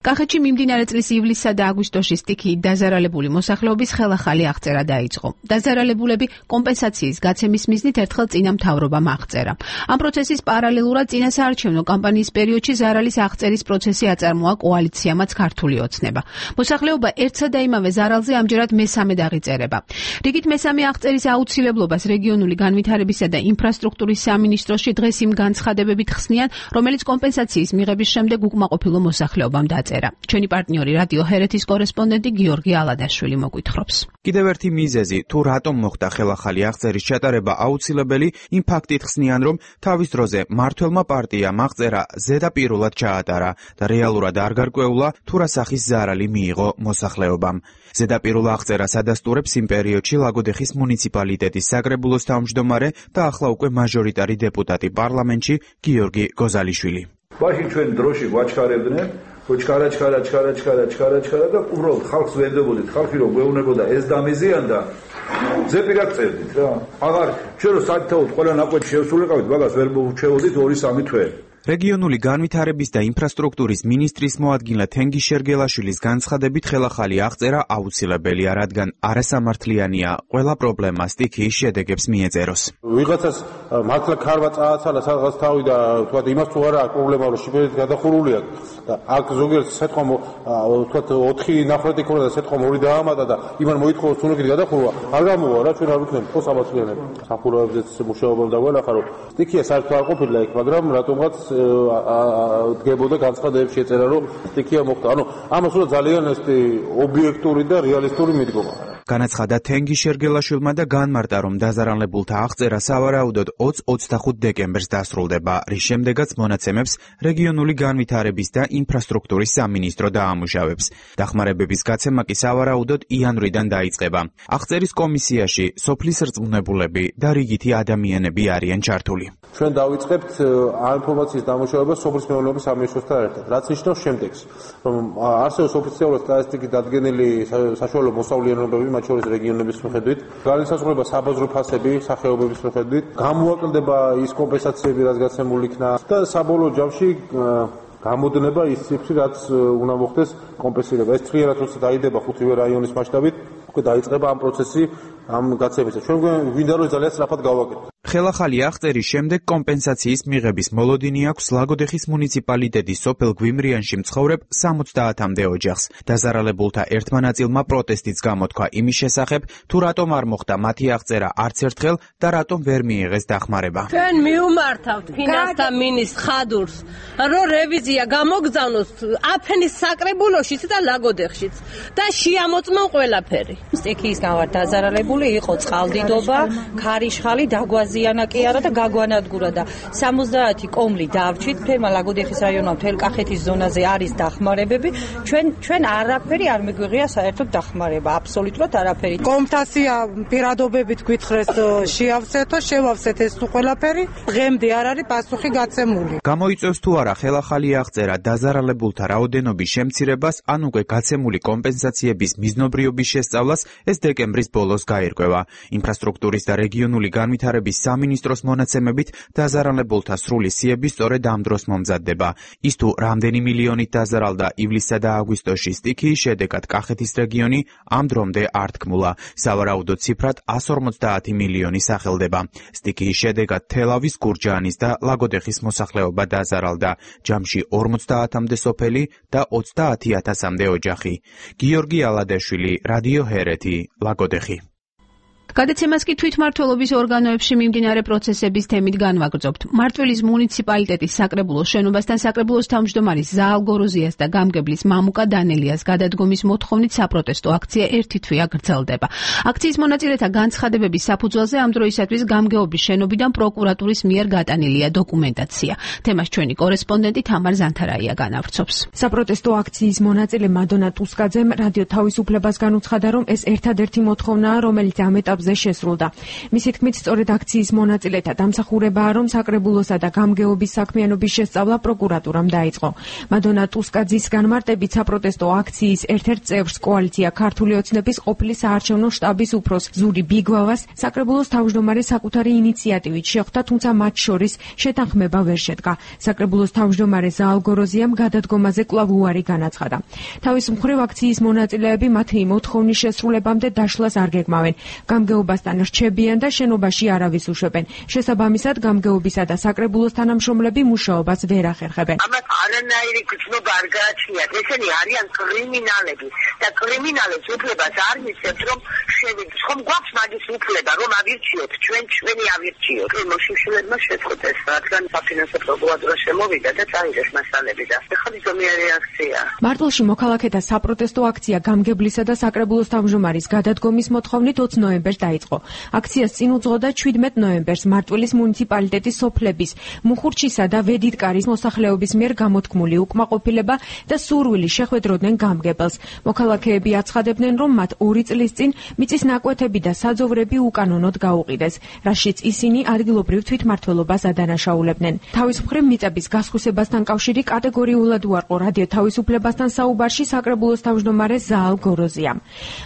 კახეთში მიმდინარე წლის ივლისსა და აგვისტოში სტიქიით დაზარალებული მოსახლეობის ხელახალი აღწერა დაიწყო. დაზარალებულები კომპენსაციის გაცემის მიზნით ერთხელ წინა მთავრობამ აღწერა. ამ პროცესის პარალელურად წინა საარჩევნო კამპანიის პერიოდში ზარალის აღწერის პროცესი აწარმოა კოალიციამაც ქართული ოცნება. მოსახლეობა ერთსა და იმავე ზარალზე ამჯერად მესამედ აღიწერება. რიგით მესამე აღწერის აუცილებლობას რეგიონული განვითარებისა და ინფრასტრუქტურის სამინისტროში დღეს იმ განცხადებებით ხსნიან, რომელიც კომპენსაციის მიღების შემდეგ უკმაყოფილო მოსახლეობამ დაწერა. ჩვენი პარტნიორი რადიო ჰერეთის კორესპონდენტი გიორგი ალადაშვილი მოგვითხრობს. კიდევ ერთი მიზეზი, თუ რატომ მოხდა ხელახალი აღწერის ჩატარება აუცილებელი, იმ ფაქტით ხსნიან, რომ თავის დროზე მმართველმა პარტიამ აღწერა ზედაპირულად ჩაატარა და რეალურად არ გარკვეულა, თუ რა სახის ზარალი მიიღო მოსახლეობამ. ზედაპირულ აღწერას ადასტურებს იმ პერიოდში ლაგოდეხის მუნიციპალიტეტის საკრებულოს თავმჯდომარე და ახლა უკვე მაჟორიტარი დეპუტატი პარლამენტში გიორგი გოზალიშვილი. მაშინ ჩვენ დროში გვაჩქარებდნენ ჩქარა და უბრალოდ ხალხს ვენდებოდით, ხალხი რომ გვეუბნებოდა ეს დამიზიან და ზეპირად წერდით რა. აღარ ჩვენ რომ საერთოდ ყველა ნაკვეთი შევსულიყავით, მაგას ვერ მოვჩეოდით 2-3 თვე. რეგიონული განვითარების და ინფრასტრუქტურის მინისტრის მოადგილე თენგიზ შერგელაშვილის განცხადებით ხელახალი აღწერა აუცილებელია, რადგან არასამართლიანია ყველა პრობლემა სტიქიის შედეგებს მიეწეროს. ვიღაცას მართლა ქარვა წააცალა სადღაც თავი და თქვა იმას თუ არა პრობლემა რომ შიფერით გადახურული აქვს და აქ ზოგიერთ სიტყვამ თქვა 4 ნახრეთი ქონა და სიტყვამ 2 დაამატა და იმან მოითხოვოს თუნუქით გადახურვა არ გამოვა რა ჩვენ არ ვიქნებით ხო სამართლიანები სახურავებზეც მუშაობამ დაგვენახა რომ სტიქია საერთოდ არ ყოფილა იქ მაგრამ რატომღაც დგებოდა განცხადებებში ეწერა რომ სტიქია მოხდა ანუ ამას უნდა ძალიან ესეთი ობიექტური და რეალისტური მიდგომა განაცხადა თენგიზ შერგელაშვილმა და განმარტა, რომ დაზარალებულთა აღწერა სავარაუდოდ 20-25 დეკემბერს დასრულდება, რის შემდეგაც მონაცემებს რეგიონული განვითარების და ინფრასტრუქტურის სამინისტრო დაამუშავებს. დახმარებების გაცემა კი სავარაუდოდ იანვრიდან დაიწყება. აღწერის კომისიაში სოფლის რწმუნებულები და რიგითი ადამიანები არიან ჩართული. ჩვენ დავიწყებთ ამ ინფორმაციის დამუშავება სოფლის მეურნეობის სამინისტროსთან ერთად, რაც ნიშნავს შემდეგს, რომ არსებობს ოფიციალურად სტატისტიკით დადგენილი საშუალო მოსავლიანობები მათ შორის რეგიონების მიხედვით, განისაზღვრება საბაზრო ფასები სახეობების მიხედვით, გამოაკლდება ის კომპენსაციები, რაც გაცემული იქნა და საბოლოო ჯამში გამოდნება ის ციფრი, რაც უნდა მოხდეს კომპენსირება. ეს ტრიალად როცა დაიდება 5-ვე რაიონის მასშტაბით, უკვე დაიწყება ამ პროცესი ამ გაცემისა. ჩვენ გვინდა რომ ძალიან სწრაფად გავაკეთოთ. ხელახალი აღწერის შემდეგ კომპენსაციის მიღების მოლოდინი აქვს ლაგოდეხის მუნიციპალიტეტის სოფელ გვიმრიანში მცხოვრებ 70-მდე ოჯახს. დაზარალებულთა ერთმა ნაწილმა პროტესტიც გამოთქვა იმის შესახებ, თუ რატომ არ მოხდა მათი აღწერა არც ერთხელ და რატომ ვერ მიიღეს დახმარება. ჩვენ მივმართავთ ფინანსთა მინისტრს ხადურს, რომ რევიზია გამოგზავნოს აფენის საკრებულოშიც და ლაგოდეხშიც და შეამოწმონ ყველაფერი. სტიქიის გამარ დაზარალებული იყო წყალდიდობა, ქარიშხალი დაგვაზიანა კი არა და გაგვანადგურა და 70 კომლი დავრჩით ფერმა ლაგოდეხის რაიონმა მთელ კახეთის ზონაზე არის დახმარებები. ჩვენ არაფერი არ მიგვიღია საერთოდ დახმარება, აბსოლუტურად არაფერი. კომპენსაცია პირადობებით გვითხრეს შეავსეთო, შევავსეთ ეს თუ ყველაფერი, დღემდე არ არის პასუხი გაცემული. გამოიწვევს თუ არა ხელახალი აღწერა დაზარალებულთა რაოდენობის შემცირებას, ან უკვე გაცემული კომპენსაციების მიზნობრიობის შესწავლას, ეს დეკემბრის ბოლოს გაირკვევა. ინფრასტრუქტურის და რეგიონული განვითარების სამინისტროს მონაცემებით დაზარალებულთა სრული სიები სწორედ ამ დროს მომზადდება. ის თუ რამდენი მილიონით დაზარალდა ივლისსა და აგვისტოში სტიქიის შედეგად კახეთის რეგიონი ამ დრომდე არ თქმულა. სავარაუდო ციფრად 150 მილიონი სახელდება. სტიქიის შედეგად თელავის, გურჯაანის და ლაგოდეხის მოსახლეობა დაზარალდა. ჯამში 50-მდე სოფელი და 30,000-მდე ოჯახი. გიორგი ალადეშვილი, რადიო ჰერეთი, ლაგოდეხი. გადაცემას კი თვითმმართველობის ორგანოებში მიმდინარე პროცესების თემით განვაგრძობთ. მარტვილის მუნიციპალიტეტის საკრებულოს შენობასთან საკრებულოს თავმჯდომარის ზაალ გოროზიას და გამგებლის მამუკა დანელიას გადადგომის მოთხოვნით საპროტესტო აქცია ერთი თვეა გრძელდება. აქციის მონაწილეთა განცხადებების საფუძველზე ამ დროისათვის გამგეობის შენობიდან პროკურატურის მიერ გატანილია დოკუმენტაცია. თემას ჩვენი კორესპონდენტი თამარ ზანთარაია განავრცობს. საპროტესტო აქციის მონაწილე მადონა ტუსკაძემ რადიო თავისუფლებას განუცხადა, რომ ეს ერთადერთი მოთხოვნაა, რომელიც ამ ეტაპზე შესრულდა. მისი თქმით, სწორედ აქციის მონაწილეთა დამსახურებაა, რომ საკრებულოსა და გამგეობის საქმიანობის შესწავლა პროკურატურამ დაიწყო. მადონა ტუსკაძის განმარტებით, საპროტესტო აქციის ერთ-ერთ წევრს კოალიცია ქართული ოცნების ყოფილი საარჩევნო შტაბის უფროს ზური ბიგვავას საკრებულოს თავმჯდომარე საკუთარი ინიციატივით შეხვდა, თუმცა მათ შორის შეთანხმება ვერ შედგა. საკრებულოს თავმჯდომარე ზაალ გოროზიამ გადადგომაზე კვლავ უარი განაცხადა. თავის მხრივ აქციის მონაწილეები მათი მოთხოვნის შესრულებამდე დაშლას არ გეგმავენ. გამგეობასთან რჩებიან და შენობაში არავის უშვებენ. შესაბამისად, გამგეობისა და საკრებულოს თანამშრომლები მუშაობას ვერ ახერხებენ. ამას არანაირი გრძნობა არ გააჩნიათ. ესენი არიან კრიმინალები და კრიმინალებს უფლებას არ მისცემთ, რომ შევიდეს. ხომ გვაქვს მაგის უფლება, რომ ავირჩიოთ, ჩვენი ავირჩიოთ. მოშიშულებმა შეწყვეტეს, რადგან საფინანსო პროკურატურა შემოვიდა და წაიღეს მასალები და ახლა ზომიერი აქცია. მარტვილში მოქალაქეთა საპროტესტო აქცია გამგებლისა და საკრებულოს თავმჯდომარის გადადგომის მოთხოვნით 20 ნოემბერს დაიწყო. აქციას წინ უძღოდა 17 ნოემბერს მარტვილის მუნიციპალიტეტის სოფლების მუხურჩისა და ვედიტკარის მოსახლეობის მიერ გამოთქმული უკმაყოფილება და სურვილი შეხვედროდნენ გამგებელს. მოქალაქეები აცხადებდნენ, რომ მათ 2 წლის წინ მიწის ნაკვეთები და საძოვრები უკანონოდ გაუყიდეს, რაშიც ისინი ადგილობრივ თვითმმართველობას ადანაშაულებდნენ. თავის მხრივ მიწების გასხვისებასთან კავშირი კატეგორიულად უარყო რადიო თავისუფლებასთან საუბარში საკრებულოს თავმჯდომარე ზაალ გოროზიამ.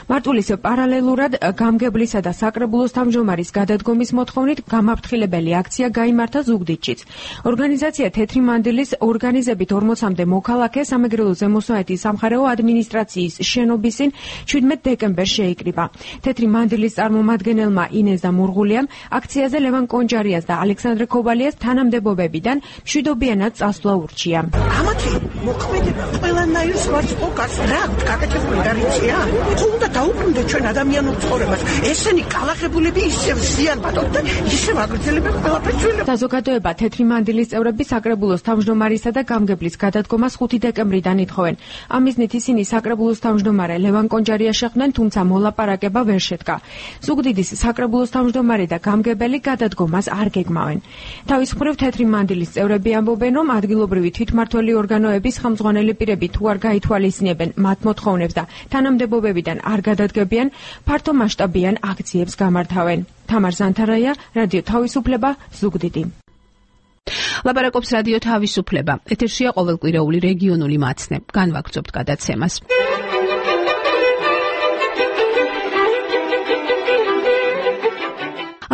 მარტვილის პარალელურად გამგებლისა და საკრებულოს თავმჯდომარის გადადგომის მოთხოვნით გამაფრთხილებელი აქცია გაიმართა ზუგდიდშიც. ორგანიზაცია თეთრი მანდილის ორგანიზებით 40-მდე მოქალაქე სამეგრელო ზემოსვანეთის სამხარეო ადმინისტრაციის შენობის წინ 17 დეკემბერს შეიკრიბა. თეთრი მანდილის წარმომადგენელმა ინეზა მურღულიამ აქციაზე ლევან კონჯარიას და ალექსანდრე ქობალიას თანამდებობებიდან მშვიდობიანად წასვლა ურჩია. ამათი მოქმედება ყველანაირს ვარცხოკას რა გაკეთებული გარიცია? თუ უნდა დაუბრუნდეთ ჩვენ ადამიანურ ცხოვრებას, ესენი კალახებულები ისევ ზიანბადობ და ისევ აგრძელებენ ყველაფერს ძველებს. საზოგადოება თეთრი მანდილის წევრები საკრებულოს თავმჯდომარისა და გამგებლის გადადგომას 5 დეკემბრიდან ითხოვენ. ამ მიზნით ისინი საკრებულოს თავმჯდომარე ლევან კონჯარიას შეხვდნენ, თუმცა მოლაპარაკება ვერ შედგა. ზუგდიდის საკრებულოს თავმჯდომარე და გამგებელი გადადგომას არ გეგმავენ. თავის მხრივ თეთრი მანდილის წევრები ამბობენ, რომ ადგილობრივი თვითმმართველი ორგანოების ხელმძღვანელი პირები თუ არ გაითვალისწინებენ მათ მოთხოვნებს და თანამდებობებიდან არ გადადგებიან, ფართო მასშტაბიან აქციებს გამართავენ. თამარ ზანთარაია, რადიო თავისუფლება, ზუგდიდი. ლაპარაკობს რადიო თავისუფლება. ეთერშია ყოველკვირეული რეგიონული მაცნე. განვაგრძობთ გადაცემას.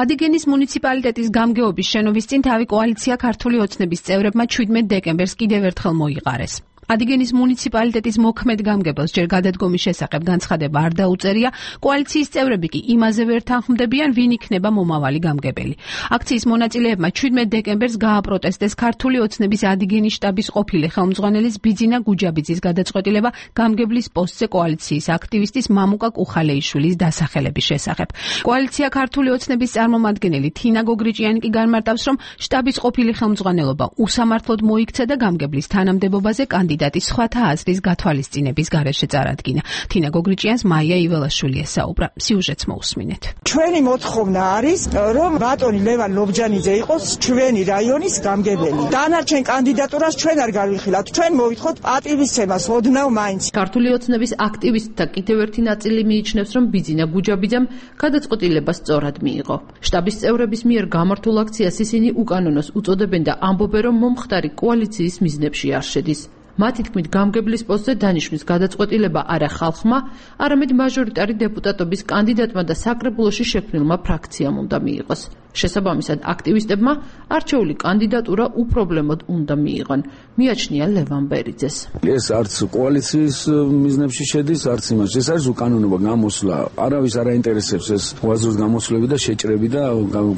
ადიგენის მუნიციპალიტეტის გამგეობის შენობის წინ თავი კოალიცია ქართული ოცნების წევრებმა 17 დეკემბერს კიდევ ერთხელ მოიყარეს. ადიგენის მუნიციპალიტეტის მოქმედ გამგებელს ჯერ გადადგომის შესახებ განცხადება არ დაუწერია, კოალიციის წევრები კი იმაზე ვერ თანხმდებიან, ვინ იქნება მომავალი გამგებელი. აქციის მონაწილეებმა 17 დეკემბერს გააპროტესტეს ქართული ოცნების ადიგენის შტაბის ყოფილი ხელმძღვანელის ბიძინა გუჯაბიძის გადაწყვეტილება გამგებლის პოსტზე კოალიციის აქტივისტის მამუკა კუხალეიშვილის დასახელების შესახებ. კოალიცია ქართული ოცნების წარმომადგენელი თინა გოგრიჭიანი კი განმარტავს, რომ შტაბის ყოფილი ხელმძღვანელობა უსამართლოდ მოიქცა და გამგებლის თანამდებობაზე კანდიდატის სხვათა აზრის გათვალისწინების გარეშე წარადგინა. თინა გოგრიჭიანს მაია იველაშვილი ესაუბრა. სიუჟეტს მოусმინეთ. ჩვენი მოთხოვნა არის, რომ ბატონი ლევან ლობჯანიძე იყოს ჩვენი რაიონის გამგებელი. დანარჩენ კანდიდატურას ჩვენ არ გავიხილავთ. ჩვენ მოვითხოვთ პატივისცემას ოდნავ მაინც. ქართული ოცნების აქტივისტთა კიდევ ერთი ნაწილი მიიჩნევს, რომ ბიძინა გუჯაბიძემ გადაწყვეტილება სწორად მიიღო. შტაბის წევრების მიერ გამართულ აქციას ისინი უკანონოს უწოდებენ და ამბობენ, რომ მომხდარი კოალიციის მიზნებში არ შედის. მათი თქმით, გამგებლის პოსტზე დანიშვნის გადაწყვეტილება არა ხალხმა, არამედ მაჟორიტარი დეპუტატობის კანდიდატმა და საკრებულოში შექმნილმა ფრაქციამ უნდა მიიღოს. შესაბამისად, აქტივისტებმა არჩეული კანდიდატურა უპრობლემოდ უნდა მიიღონ, მიაჩნია ლევან ბერიძეს. ეს არც კოალიციის მიზნებში შედის, არც იმაში. ეს არის უკანონობა გამოსვლა. არავის არ აინტერესებს ეს უაზროს გამოსვლები და შეჭრები და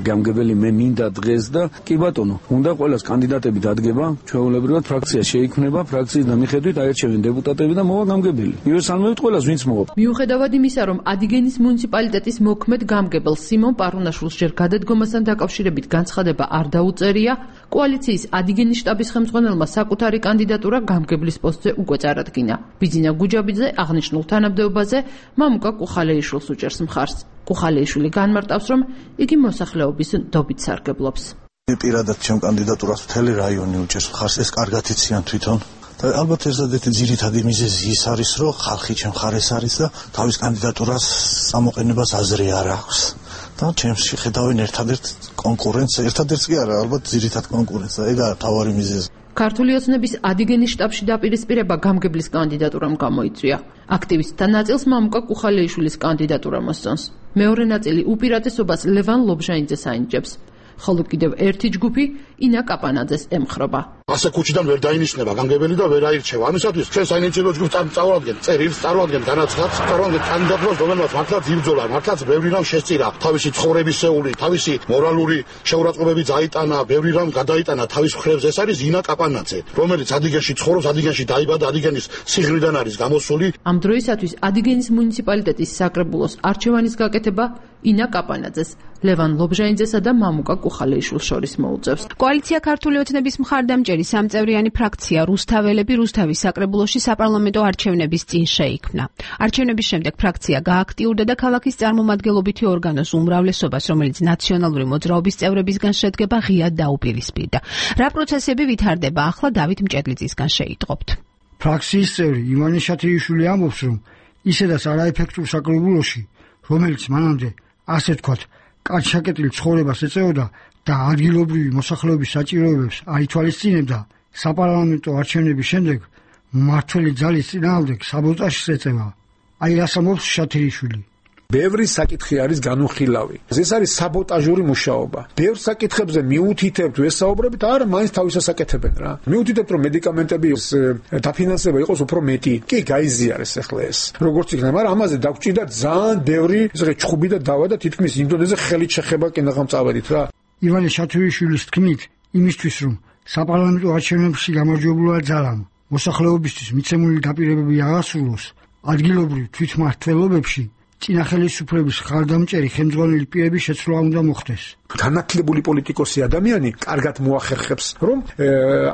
გამგებელი მე მინდა დღეს და კი ბატონო, უნდა ყველას კანდიდატები დადგება, ჩვეულებრივად ფრაქცია შეიქმნება, ფრაქციის მიხედვით აერჩევენ დეპუტატები და მოვა გამგებელი. იოსალმევით ყველას ვინც მოვა. მიუხედავად იმისა, რომ ადიგენის მუნიციპალიტეტის მოქმედ გამგებელ სიმონ პარუნაშვილს ჯერ გადადგომასთან დაკავშირებით განცხადება არ დაუწერია, კოალიციის ადიგენის შტაბის ხელმძღვანელმა საკუთარი კანდიდატურა გამგებლის პოსტზე უკვე წარადგინა. ბიძინა გუჯაბიძე აღნიშნულ თანამდებობაზე მამუკა კუხალეიშვილს უჭერს მხარს. კუხალეიშვილი განმარტავს, რომ იგი მოსახლეობის ნდობით სარგებლობს. პირადად ჩემ კანდიდატურას მთელი რაიონი უჭერს მხარს, ეს კარგად იციან თვითონ. და ალბათ ერთადერთი ძირითადი მიზეზი ის არის, რომ ხალხი ჩემ მხარეს არის და თავის კანდიდატურას ამოყენებას აზრი არ აქვს. და ჩემში ხედავენ ერთადერთ კონკურენტს, ერთადერთს კი არა, ალბათ ძირითად კონკურენტს, ეგაა მთავარი მიზეზი. ქართული ოცნების ადიგენის შტაბში დაპირისპირება გამგებლის კანდიდატურამ გამოიწვია. აქტივისტთა ნაწილს მამუკა კუხალეიშვილის კანდიდატურა მოსწონს. მეორე ნაწილი უპირატესობას ლევან ლობჟანიძეს აინჯებს. ხოლო კიდევ ერთი ჯგუფი ინა კაპანაძეს ემხრობა. ასე ქუჩიდან ვერ დაინიშნება გამგებელი და ვერ აირჩევა. ამისათვის ჩვენ საინიციატივო ჯგუფს წავადგენთ, წერილს წავადგენთ, განაცხადს, წავადგენთ კანდიდატურას, რომელმაც მართლაც იბრძოლა, მართლაც ბევრი რამ შესწირა, თავისი ცხოვრებისეული, თავისი მორალური შეურაცხყოფები დაიტანა, ბევრი რამ გადაიტანა თავის მხრებზე. ეს არის ინა კაპანაძე, რომელიც ადიგენში ცხოვრობს, ადიგენში დაიბადა, ადიგენის სიღრმიდან არის გამოსული. ამ დროისათვის ადიგენის მუნიციპალიტეტის საკრებულოს არჩევანის გაკეთება ინა კაპანაძეს, ლევან ლობჟანიძესა და მამუკა კუხალეიშვილს შორის მოუწევს. კოალიცია ქართული ოცნების მხარდამჭერი სამწევრიანი ფრაქცია რუსთაველები რუსთავის საკრებულოში საპარლამენტო არჩევნების წინ შეიქმნა. არჩევნების შემდეგ ფრაქცია გააქტიურდა და ქალაქის წარმომადგენლობითი ორგანოს უმრავლესობას, რომელიც ნაციონალური მოძრაობის წევრებისგან შედგება, ღიად დაუპირისპირდა. რა პროცესები ვითარდება, ახლა დავით მჭედლიძისგან შეიტყობთ. ფრაქციის წევრი ივანე შათიიშვილი ამბობს, რომ ისედაც არაეფექტურ საკრებულოში, რომელიც მანამდე ასე ვთქვათ, კანჩაკეტილ ცხოვრებას ეწეოდა და ადგილობრივი მოსახლეობის საჭიროებებს აითვალისწინებდა, საპარლამენტო არჩევნების შემდეგ მმართველი ძალის წინააღმდეგ საბოტაჟს ეწევა. აი რას ამბობს შათირიშვილი. ბევრი საკითხი არის განუხილავი. ეს არის საბოტაჟური მუშაობა. ბევრ საკითხებზე მიუთითებთ ვესაუბრებით, არა, მაინც თავისას აკეთებენ რა. მიუთითებთ რომ მედიკამენტების დაფინანსება იყოს უფრო მეტი. კი, გაიზიარეს ახლა ეს. როგორც იქნება, მაგრამ ამაზე დაგჭირდა ძალიან ბევრი ესე ჩხუბი და დავა და თითქმის იმ დონეზე ხელით შეხება კენაღამ წავედით რა. ივანე შათირიშვილის თქმით, იმისთვის რომ საპარლამენტო არჩევნებში გამარჯვებულა ძალამ, მოსახლეობისთვის მიცემული დაპირებები აღასრულოს, ადგილობრივ თვითმმართველობებში წინა ხელისუფლების ხარდამჭერი ხელმძღვანელი პირების შეცვლა უნდა მოხდეს. განათლებული პოლიტიკოსი ადამიანი კარგად მოახერხებს, რომ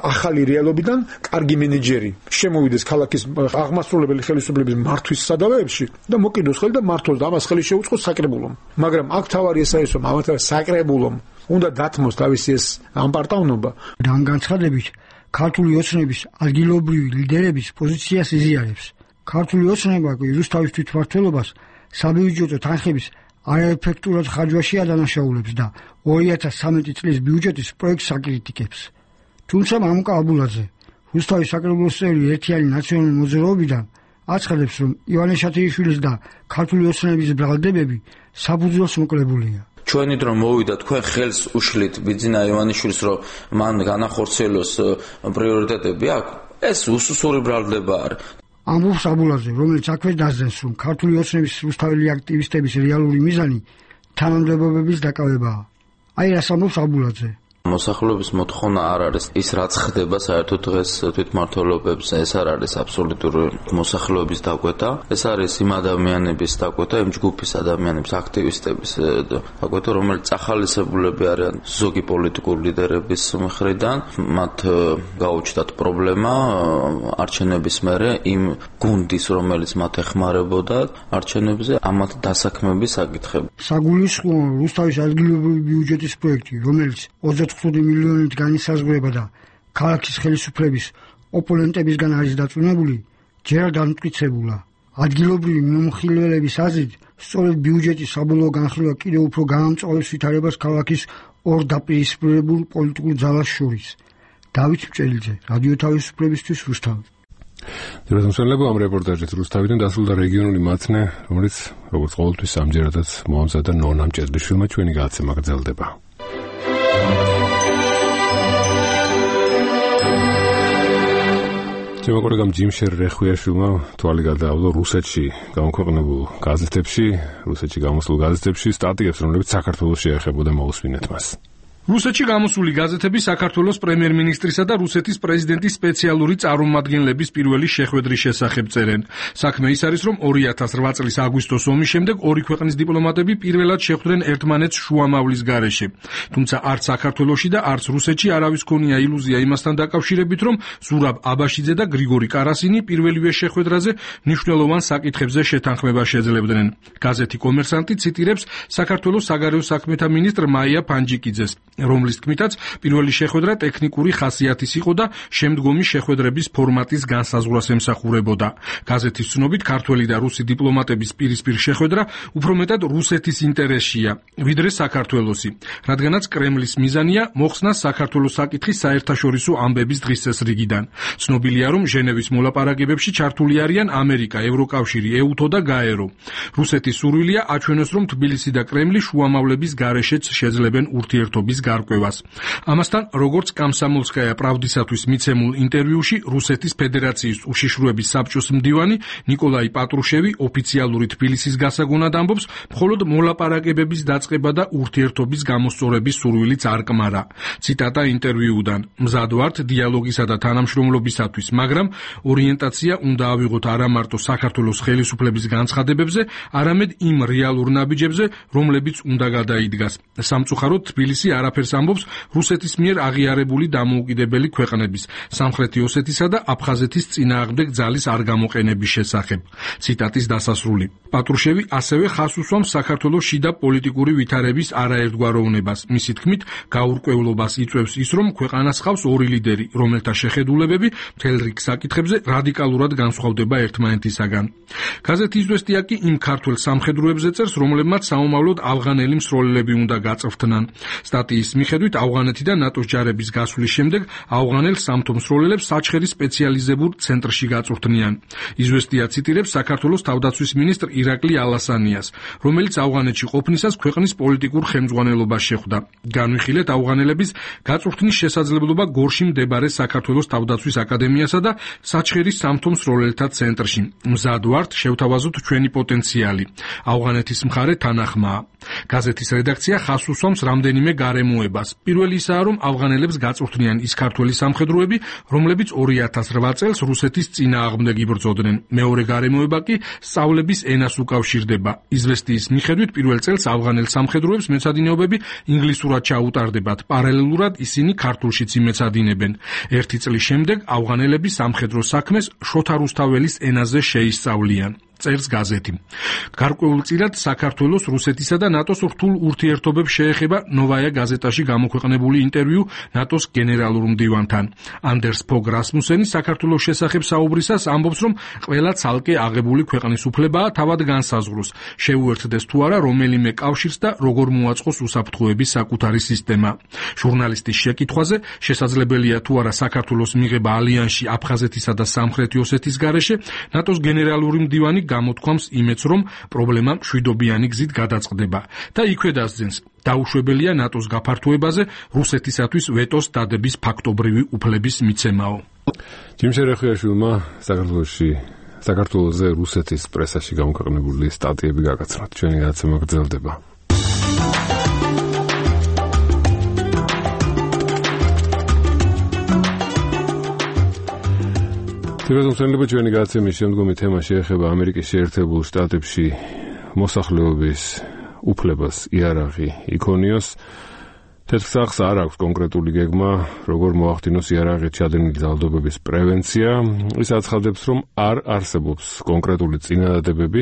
ახალი რეალობიდან კარგი მენეჯერი შემოვიდეს ქალაქის აღმასრულებელი ხელისუფლების მართვის სადავეებში და მოკიდოს ხელი და მართოს და ამას ხელი შეუწყოს საკრებულომ. მაგრამ აქ თავარი ეს არის, რომ ამათ საკრებულომ უნდა დათმოს თავისი ეს ამპარტავნობა. ამ განცხადებით ქართული ოცნების ადგილობრივი ლიდერების პოზიციას იზიარებს. ქართული ოცნება რუსთავის თვითმმართველობას საბიუჯეტო თანხების არაეფექტურად ხარჯვაში ადანაშაულებს და 2013 წლის ბიუჯეტის პროექტს აკრიტიკებს. თუმცა მამუკა აბულაძე, რუსთავის საკრებულოს წევრი ერთიანი ნაციონალური მოძრაობიდან აცხადებს, რომ ივანე შათირიშვილის და ქართული ოცნების ბრალდებები საფუძველს მოკლებულია. ჩვენი დრო მოვიდა, თქვენ ხელს უშლით ბიძინა ივანიშვილს, რომ მან განახორციელოს პრიორიტეტები აქვს. ეს უსუსური ბრალდება არის. ამბობს აბულაძე, რომელიც აქვე დასძენს, რომ ქართული ოცნების რუსთაველი აქტივისტების რეალური მიზანი თანამდებობების დაკავებაა. აი რას ამბობს აბულაძე. მოსახლეობის მოთხოვნა არ არის ის რაც ხდება საერთოდ დღეს თვითმმართველობებს, ეს არ არის აბსოლუტური მოსახლეობის დაკვეთა, ეს არის იმ ადამიანების დაკვეთა, იმ ჯგუფის ადამიანების, აქტივისტების დაკვეთა, რომელიც ახალისებულები არიან ზოგი პოლიტიკური ლიდერების მხრიდან, მათ გაუჩნდათ პრობლემა არჩევნების მერე იმ გუნდის, რომელიც მათ ეხმარებოდა არჩევნებზე, ამათ დასაქმების საკითხები. საგულისხმოა რუსთავის ადგილობრივი ბიუჯეტის პროექტი, რომელიც 25 მილიონით განისაზღვრება და ქალაქის ხელისუფლების ოპონენტებისგან არის დაწუნებული, ჯერ დამტკიცებულა. ადგილობრივი მომხილველების აზრით, სწორედ ბიუჯეტის საბოლოო განხილვა კიდევ უფრო გაამწვავებს ვითარებას ქალაქის ორ დაპირისპირებულ პოლიტიკურ ძალას შორის. დავით მჭელიძე, რადიო თავისუფლებისთვის რუსთავი. დიახ, ამ რეპორტაჟით რუსთავიდან დასრულდა რეგიონული მაცნე, რომელიც როგორც ყოველთვის ამჯერადაც მოამზადა ნონა მჭედლიშვილმა, ჩვენი გადაცემა გრძელდება. ჩემო კოლეგამ ჯიმშერ რეხვიაშვილმა თვალი გადაავლო რუსეთში გამოქვეყნებულ გაზეთებში, რუსეთში გამოსულ გაზეთებში სტატიებს, რომლებიც საქართველოს შეეხებოდა, მოусმინეთ მას. რუსეთში გამოსული გაზეთები საქართველოს პრემიერ-მინისტრისა და რუსეთის პრეზიდენტის სპეციალური წარმომადგენლების პირველი შეხვედრის შესახებ წერენ. საქმე ის არის, რომ 2008 წლის აგვისტოს ომის შემდეგ ორი ქვეყნის დიპლომატები პირველად შეხვდნენ ერთმანეთს შუამავლის გარეშე. თუმცა არც საქართველოში და არც რუსეთში არავის ქონია ილუზია იმასთან დაკავშირებით, რომ ზურაბ აბაშიძე და გრიგორი კარასინი პირველივე შეხვედრაზე მნიშვნელოვან საკითხებზე შეთანხმება შეძლებდნენ. გაზეთი კომერსანტი ციტირებს საქართველოს საგარეო საქმეთა მინისტრ მაია ფანჯიკიძეს, რომლის თქმითაც პირველი შეხვედრა ტექნიკური ხასიათის იყო და შემდგომი შეხვედრების ფორმატის განსაზღვრას ემსახურებოდა. გაზეთის ცნობით ქართველი და რუსი დიპლომატების პირისპირ შეხვედრა უფრო მეტად რუსეთის ინტერესშია, ვიდრე საქართველოსი, რადგანაც კრემლის მიზანია მოხსნა საქართველოს საკითხის საერთაშორისო ამბების დღესასრიგიდან. ცნობილია, რომ ჟენევის მოლაპარაკებებში ჩართული არიან ამერიკა, ევროკავშირი, ეუთო და გაერო. რუსეთის სურვილია აჩვენოს, რომ თბილისი და კრემლი შუამავლების გარეშეც შეძლებენ ურთიერთობის გარკვევას. ამასთან, როგორც კომსომოლსკაია პრავდისათვის მიცემულ ინტერვიუში რუსეთის ფედერაციის უშიშროების საბჭოს მდივანი ნიკოლაი პატრუშევი ოფიციალური თბილისის გასაგონად ამბობს, მხოლოდ მოლაპარაკებების დაწყება და ურთიერთობის გამოსწორების სურვილიც არ კმარა. ციტატა ინტერვიუდან: მზად ვართ დიალოგისა და თანამშრომლობისათვის, მაგრამ ორიენტაცია უნდა ავიღოთ არა მარტო საქართველოს ხელისუფლების განცხადებებზე, არამედ იმ რეალურ ნაბიჯებზე, რომლებიც უნდა გადაიდგას. სამწუხაროდ თბილისი არაფერს ყველაფერს ამბობს რუსეთის მიერ აღიარებული დამოუკიდებელი ქვეყნების, სამხრეთი ოსეთისა და აფხაზეთის წინააღმდეგ ძალის არ გამოყენების შესახებ. ციტატის დასასრული. პატრუშევი ასევე ხას უსვამს საქართველოს შიდა პოლიტიკური ვითარების არაერთგვაროვნებას. მისი თქმით, გაურკვევლობას იწვევს ის, რომ ქვეყანას ხავს ორი ლიდერი, რომელთა შეხედულებები მთელ რიგ საკითხებზე რადიკალურად განსხვავდება ერთმანეთისაგან. გაზეთი „იზვესტია“ კი იმ ქართველ სამხედროებზე წერს, რომლებმაც საომავლოდ ავღანელი მსროლელები უნდა გაწვრთნან. სტატიის მიხედვით, ავღანეთი და ნატოს ჯარების გასვლის შემდეგ ავღანელ სამთო მსროლელებს საჩხერის სპეციალიზებულ ცენტრში გაწვრთნიან. „იზვესტია“ ციტირებს საქართველოს თავდაცვის მინისტრ ირაკლი ალასანიას, რომელიც ავღანეთში ყოფნისას ქვეყნის პოლიტიკურ ხელმძღვანელობას შეხვდა. განვიხილეთ ავღანელების გაწვრთნის შესაძლებლობა გორში მდებარე საქართველოს თავდაცვის აკადემიასა და საჩხერის სამთო მსროლელთა ცენტრში. მზად ვართ შევთავაზოთ ჩვენი პოტენციალი. ავღანეთის მხარე თანახმაა. გაზეთის რედაქცია ხას უსვამს რამდენიმე გარემოებას. პირველი ისაა, რომ ავღანელებს გაწვრთნიან ის ქართველი სამხედროები, რომლებიც 2008 წელს რუსეთის წინააღმდეგ იბრძოდნენ. მეორე გარემოება კი სწავლების ენას უკავშირდება. „იზვესტიის“ მიხედვით პირველ წელს ავღანელ სამხედროებს მეცადინეობები ინგლისურად ჩაუტარდებათ. პარალელურად ისინი ქართულშიც იმეცადინებენ. 1 წლის შემდეგ ავღანელები სამხედრო საქმეს შოთა რუსთაველის ენაზე შეისწავლიან. წერს გაზეთი. გარკვეულწილად საქართველოს რუსეთისა და ნატოს რთულ ურთიერთობებს შეეხება ნოვაია გაზეტაში გამოქვეყნებული ინტერვიუ ნატოს გენერალურ მდივანთან. ანდერს ფოგ რასმუსენი საქართველოს შესახებ საუბრისას ამბობს, რომ ყველა ცალკე აღებული ქვეყნის უფლებაა თავად განსაზღვროს, შეუერთდეს თუ არა რომელიმე კავშირს და როგორ მოაწყოს უსაფრთხოების საკუთარი სისტემა. ჟურნალისტის შეკითხვაზე, შესაძლებელია თუ არა საქართველოს მიღება ალიანსში აფხაზეთისა და სამხრეთი ოსეთის გარეშე, ნატოს გენერალური მდივანი გამოთქვამს იმედს, რომ პრობლემა მშვიდობიანი გზით გადაწყდება და იქვე დასძენს. დაუშვებელია ნატოს გაფართოებაზე რუსეთისათვის ვეტოს დადების ფაქტობრივი უფლების მიცემაო. ჯიმ შერეხიაშვილმა საქართველოზე რუსეთის პრესაში გამოქვეყნებული სტატიები გაგაცნოთ. ჩვენი გადაცემა გრძელდება. თვითონწმენდება ჩვენი გადაცემის შემდგომი თემა შეეხება ამერიკის შეერთებულ შტატებში მოსახლეობის უფლებას იარაღი იქონიოს. თეთრ სახლს არ აქვს კონკრეტული გეგმა, როგორ მოახდინოს იარაღით ჩადენილი ძალადობების პრევენცია. ის აცხადებს, რომ არ არსებობს კონკრეტული წინადადებები,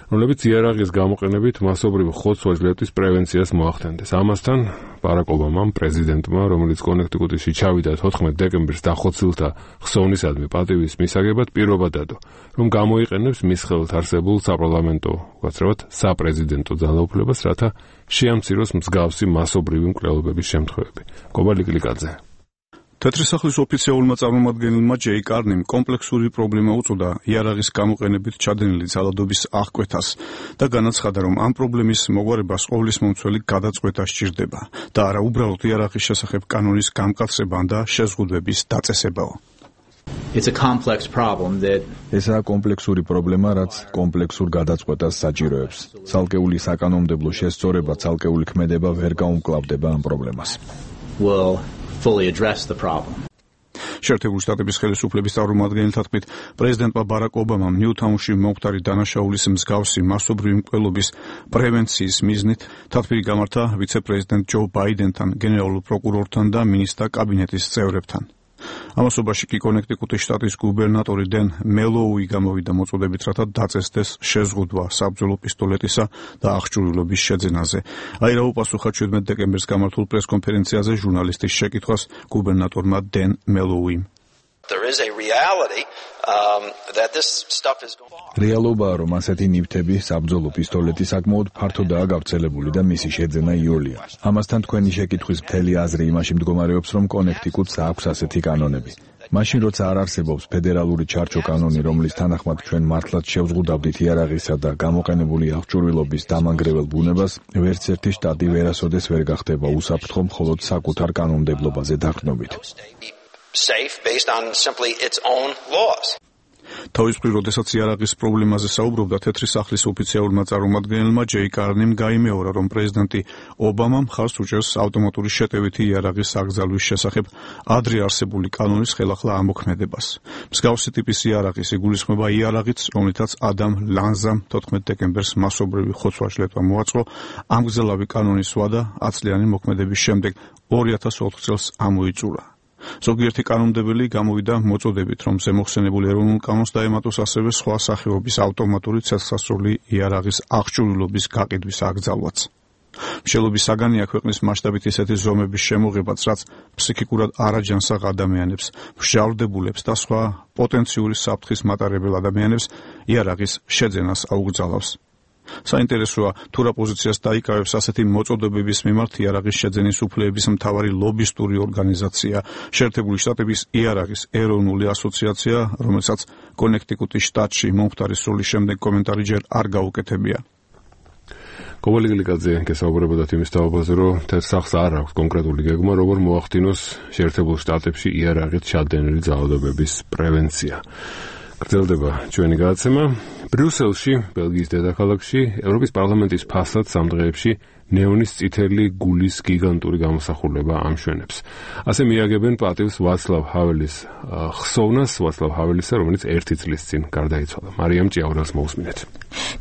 რომლებიც იარაღის გამოყენებით მასობრივ ხოცვა-ჟლეტის პრევენციას მოახდენდეს. ამასთან ბარაკ ობამამ, პრეზიდენტმა, რომელიც კონექტიკუტში ჩავიდა 14 დეკემბერს დახოცილთა ხსოვნისადმი პატივის მისაგებად პირობა დადო, რომ გამოიყენებს მის ხელთ არსებულ საპარლამენტო, უაცრავად საპრეზიდენტო ძალაუფლებას, რათა შეამციროს მსგავსი მასობრივი მკვლელობების შემთხვევები. კობალი კლიკაძე. თეთრი სახლის ოფიციალურმა წარმომადგენელმა ჯეი კარნიმ კომპლექსური პრობლემა უწოდა იარაღის გამოყენებით ჩადენილი ძალადობის აღკვეთას და განაცხადა, რომ ამ პრობლემის მოგვარებას ყოვლის მომცველი გადაწყვეტა სჭირდება და არა უბრალოდ იარაღის შესახებ კანონის გამკაცება და შეზღუდვების დაწესებაო. ესაა კომპლექსური პრობლემა, რაც კომპლექსურ გადაწყვეტას საჭიროებს. ცალკეული საკანონმდებლო შესწორება, ცალკეული ქმედება ვერ გაუმკლავდება ამ პრობლემას. შეერთებული შტატების ხელისუფლების წარმომადგენელთა თქმით, პრეზიდენტმა ბარაკ ობამამ ნიუთაუნში მომხდარი დანაშაულის მსგავსი მასობრივი მკვლელობის პრევენციის მიზნით თათბირი გამართა ვიცე-პრეზიდენტ ჯო ბაიდენთან, გენერალურ პროკურორთან და მინისტრთა კაბინეტის წევრებთან. ამასობაში კი კონექტიკუტის შტატის გუბერნატორი დენ მელოუი გამოვიდა მოწოდებით, რათა დაწესდეს შეზღუდვა საბრძოლო პისტოლეტისა და აღჭურვილობის შეძენაზე. აირა უპასუხა 17 დეკემბერს გამართულ პრესკონფერენციაზე ჟურნალისტის შეკითხვას გუბერნატორმა დენ მელოუიმ. რეალობაა, რომ ასეთი ნივთები, საბრძოლო პისტოლეტი საკმაოდ ფართოდაა გავრცელებული და მისი შეძენა იოლია. ამასთან თქვენი შეკითხვის მთელი აზრი იმაში მდგომარეობს, რომ კონექტიკუტს აქვს ასეთი კანონები. მაშინ როცა არ არსებობს ფედერალური ჩარჩო კანონი, რომლის თანახმად ჩვენ მართლაც შევზღუდავდით იარაღისა და გამოყენებული აღჭურვილობის დამანგრეველ ბუნებას, ვერც ერთი შტატი ვერასოდეს ვერ გახდება უსაფრთხო მხოლოდ საკუთარ კანონმდებლობაზე დაყრდნობით. თავის მხრივ, როდესაც იარაღის პრობლემაზე საუბრობდა, თეთრი სახლის ოფიციალურმა წარმომადგენელმა ჯეი კარნიმ გაიმეორა, რომ პრეზიდენტი ობამა მხარს უჭერს ავტომატური შეტევითი იარაღის აკრძალვის შესახებ ადრე არსებული კანონის ხელახლა ამოქმედებას. მსგავსი ტიპის იარაღის იგულისხმება იარაღიც, რომლითაც ადამ ლანზამ 14 დეკემბერს მასობრივი ხოცვა-შლეტვა მოაწყო, ამგზელავი კანონის ვადა 10 წლიანი მოქმედების შემდეგ 2004 წელს ამოიწურა. ზოგიერთი კანონმდებელი გამოვიდა მოწოდებით, რომ ზემოხსენებულ ეროვნულ კანონს დაემატოს ასევე სხვა სახეობის ავტომატური ცეცხლსასროლი იარაღის აღჭურვილობის გაყიდვის აკრძალვაც. მშელობის საგანია ქვეყნის მასშტაბით ისეთი ზომების შემოღებაც, რაც ფსიქიკურად არაჯანსაღ ადამიანებს, მსჯავრდებულებს და სხვა პოტენციური საფრთხის მატარებელ ადამიანებს იარაღის შეძენას აუგზალავს. საინტერესოა, თუ რა პოზიციას დაიკავებს ასეთი მოწოდებების მიმართ იარაღის შეძენის უფლებების მთავარი ლობისტური ორგანიზაცია, შეერთებული შტატების იარაღის ეროვნული ასოციაცია, რომელსაც კონექტიკუტის შტატში მომხდარი სროლის შემდეგ კომენტარი ჯერ არ გაუკეთებია. კობალი გლიკაძე გესაუბრებოდათ იმის თაობაზე, რომ თეთრ სახლს არ აქვს კონკრეტული გეგმა, როგორ მოახდინოს შეერთებულ შტატებში იარაღით ჩადენილი ძალადობების პრევენცია. გრძელდება ჩვენი გადაცემა. ბრიუსელში, ბელგიის დედაქალაქში, ევროპის პარლამენტის ფასად სამ დღეებში ნეონის წითელი გულის გიგანტური გამოსახულება ამშვენებს. ასე მიაგებენ პატივს ვაცლავ ჰაველის ხსოვნას, ვაცლავ ჰაველისა, რომელიც 1 წლის წინ გარდაიცვალა. მარიამ ჭიაურელს მოусმინეთ.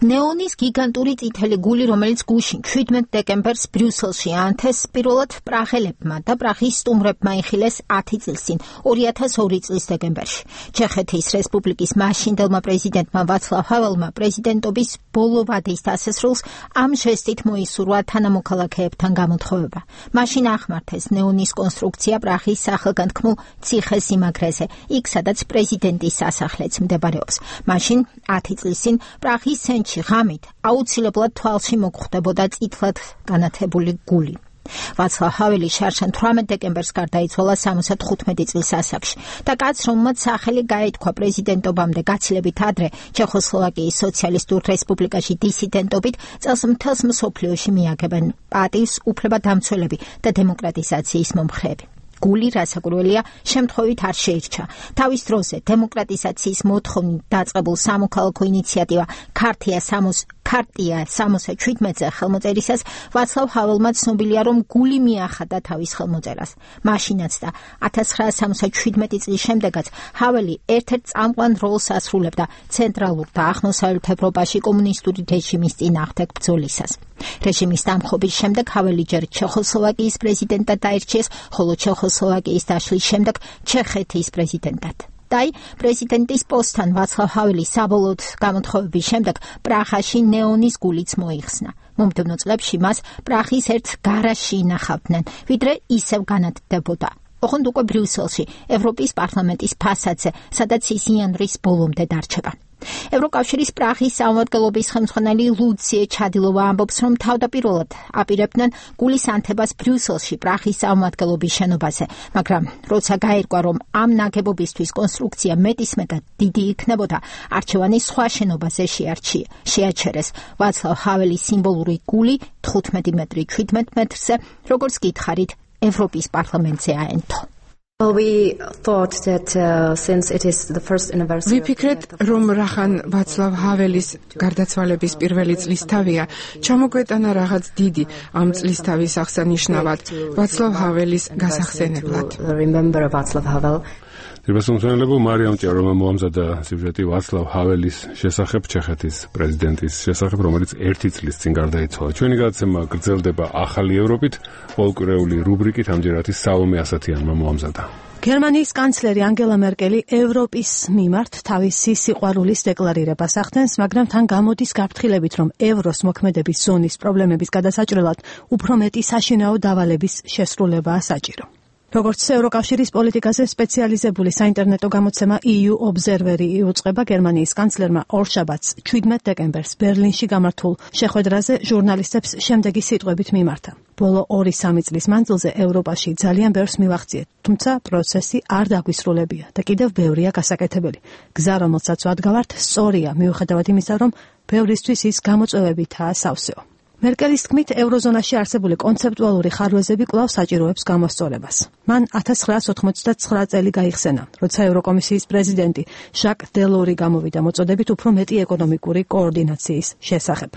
ნეონის გიგანტური წითელი გული, რომელიც გუშინ 17 დეკემბერს ბრიუსელში აანთეს, პირველად პრაღელებმა და პრაღის სტუმრებმა იხილეს 10 წლის წინ, 2002 წლის დეკემბერში. ჩეხეთის რესპუბლიკის მაშინდელმა პრეზიდენტმა ვაცლავ ჰაველმა პრეზიდენტობის ბოლო ვადის დასასრულს ამ ჟესტით მოისურვა თანამოქალაქეებთან გამოთხოვება. მაშინ ახმართეს ნეონის კონსტრუქცია პრაღის სახელგანთქმულ ციხე-სიმაგრეზე, იქ სადაც პრეზიდენტის სასახლეც მდებარეობს. მაშინ 10 წლის წინ პრაღის ცენტრში ღამით აუცილებლად თვალში მოგხვდებოდა წითლად განათებული გული. ვაცლავ ჰაველი შარშან 18 დეკემბერს გარდაიცვალა 75 წლის ასაკში და კაცს, რომელმაც სახელი გაითქვა პრეზიდენტობამდე გაცილებით ადრე ჩეხოსლოვაკიის სოციალისტურ რესპუბლიკაში დისიდენტობით, წელს მთელს მსოფლიოში მიაგებენ პატივს უფლებადამცველები და დემოკრატიზაციის მომხრეები. გული, რასაკვირველია, შემთხვევით არ შეირჩა. თავის დროზე დემოკრატიზაციის მოთხოვნით დაწყებულ სამოქალაქო ინიციატივა ქარტია 67-ზე ხელმოწერისას ვაცლავ ჰაველმა ცნობილია, რომ გული მიახადა თავის ხელმოწერას. მაშინაც და 1967 წლის შემდეგაც ჰაველი ერთ-ერთ წამყვან როლს ასრულებდა ცენტრალურ და აღმოსავლეთ ევროპაში კომუნისტური რეჟიმის წინააღმდეგ ბრძოლისას. რეჟიმის დამხობის შემდეგ ჰაველი ჯერ ჩეხოსლოვაკიის პრეზიდენტად დაირჩიეს, ხოლო ჩეხოსლოვაკიის დაშლის შემდეგ ჩეხეთის პრეზიდენტად. დაი პრეზიდენტის პოსტთან ვაცლავ ჰაველის საბოლოოდ გამოთხოვების შემდეგ პრაღაში ნეონის გულიც მოიხსნა. მომდევნო წლებში მას პრაღის ერთ გარაჟში ინახავდნენ, ვიდრე ისევ განათდებოდა. ოღონდ უკვე ბრიუსელში, ევროპის პარლამენტის ფასადზე, სადაც ის იანვრის ბოლომდე დარჩება. ევროკავშირის პრაღის სამმართველობის ხელმძღვანელი ლუციე ჩადილოვა ამბობს, რომ თავდაპირველად აპირებდნენ გულის ანთებას ბრიუსელში პრაღის სამმართველობის შენობაზე, მაგრამ როცა გაირკვა, რომ ამ ნაგებობისთვის კონსტრუქცია მეტისმეტად დიდი იქნებოდა, არჩევანი სხვა შენობაზე შეაჩერეს. ვაცლავ ჰაველის სიმბოლური გული 15 მეტრი 17 მეტრზე, როგორც გითხარით, ევროპის პარლამენტზე აენთო. ვიფიქრეთ, რომ რახან ვაცლავ ჰაველის გარდაცვალების პირველი წლისთავია, ჩამოგვეტანა რაღაც დიდი ამ წლისთავის აღსანიშნავად, ვაცლავ ჰაველის გასახსენებლად. თირბასუმცენელებო მარიამ ჭიაურელმა მოამზადა სიუჟეტი ვაცლავ ჰაველის შესახებ, ჩეხეთის პრეზიდენტის შესახებ, რომელიც 1 წლის წინ გარდაიცვალა. ჩვენი გადაცემა გრძელდება ახალი ევროპით, პოლკურეული რუბრიკით, ამჯერად ის საომე ასათიანმა მოამზადა. გერმანიის კანცლერი ანგელა მერკელი ევროპის მიმართ თავისი სიყვარულის დეკლარირებას ახდენს, მაგრამ თან გამოდის გაფრთხილებით, რომ ევროს მოქმედების ზონის პრობლემების გადასაჭრელად უფრო მეტი საშინაო დავალების შესრულებაა საჭირო. როგორც ევროკავშირის პოლიტიკაზე სპეციალიზებული საინტერნეტო გამოცემა EU Observer იუწყება, გერმანიის კანცლერმა ორშაბათს 17 დეკემბერს ბერლინში გამართულ შეხვედრაზე ჟურნალისტებს შემდეგი სიტყვებით მიმართა. ბოლო 2-3 წლის მანძილზე ევროპაში ძალიან ბევრს მივახციეთ, თუმცა პროცესი არ დაგვისრულებია და კიდევ ბევრია გასაკეთებელი. გზა, რომელსაც ვადგავართ, სწორია, მიუხედავად იმისა, რომ ბევრისთვის ის გამოწვევებითაა სავსეო. მერკელის თქმით, ევროზონაში არსებული კონცეპტუალური ხარვეზები კვლავ საჭიროებს გამოსწორებას. მან 1989 წელი გაიხსენა, როცა ევროკომისიის პრეზიდენტი ჟაკ დელორი გამოვიდა მოწოდებით უფრო მეტი ეკონომიკური კოორდინაციის შესახებ.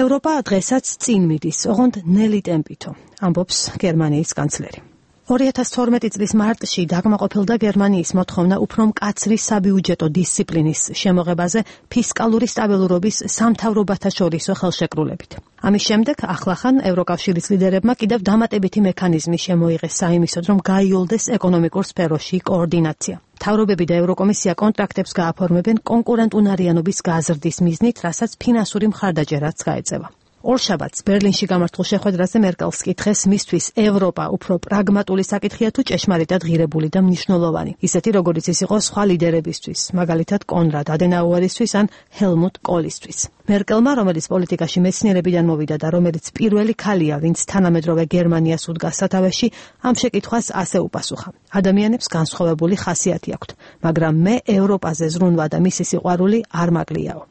ევროპა დღესაც წინ მიდის, ოღონდ ნელი ტემპითო, ამბობს გერმანიის კანცლერი. 2012 წლის მარტში დაკმაყოფილდა გერმანიის მოთხოვნა უფრო მკაცრი საბიუჯეტო დისციპლინის შემოღებაზე ფისკალური სტაბილურობის სამთავრობათა შორისო ხელშეკრულებით. ამის შემდეგ ახლახან ევროკავშირის ლიდერებმა კიდევ დამატებითი მექანიზმი შემოიღეს საიმისოდ, რომ გაიოლდეს ეკონომიკურ სფეროში კოორდინაცია. მთავრობები და ევროკომისია კონტრაქტებს გააფორმებენ კონკურენტუნარიანობის გაზრდის მიზნით, რასაც ფინანსური მხარდაჭერაც გაეწევა. ორშაბათს ბერლინში გამართულ შეხვედრაზე მერკელს კითხეს, მისთვის ევროპა უფრო პრაგმატული საკითხია თუ ჭეშმარიტად ღირებული და მნიშვნელოვანი, ისეთი როგორიც ის იყო სხვა ლიდერებისთვის, მაგალითად კონრად ადენაუერისთვის ან ჰელმუტ კოლისთვის. მერკელმა, რომელიც პოლიტიკაში მეცნიერებიდან მოვიდა და რომელიც პირველი ქალია, ვინც თანამედროვე გერმანიას უდგა სათავეში, ამ შეკითხვას ასე უპასუხა: ადამიანებს განსხვავებული ხასიათი აქვთ, მაგრამ მე ევროპაზე ზრუნვა და მისი სიყვარული არ მაგლიაო.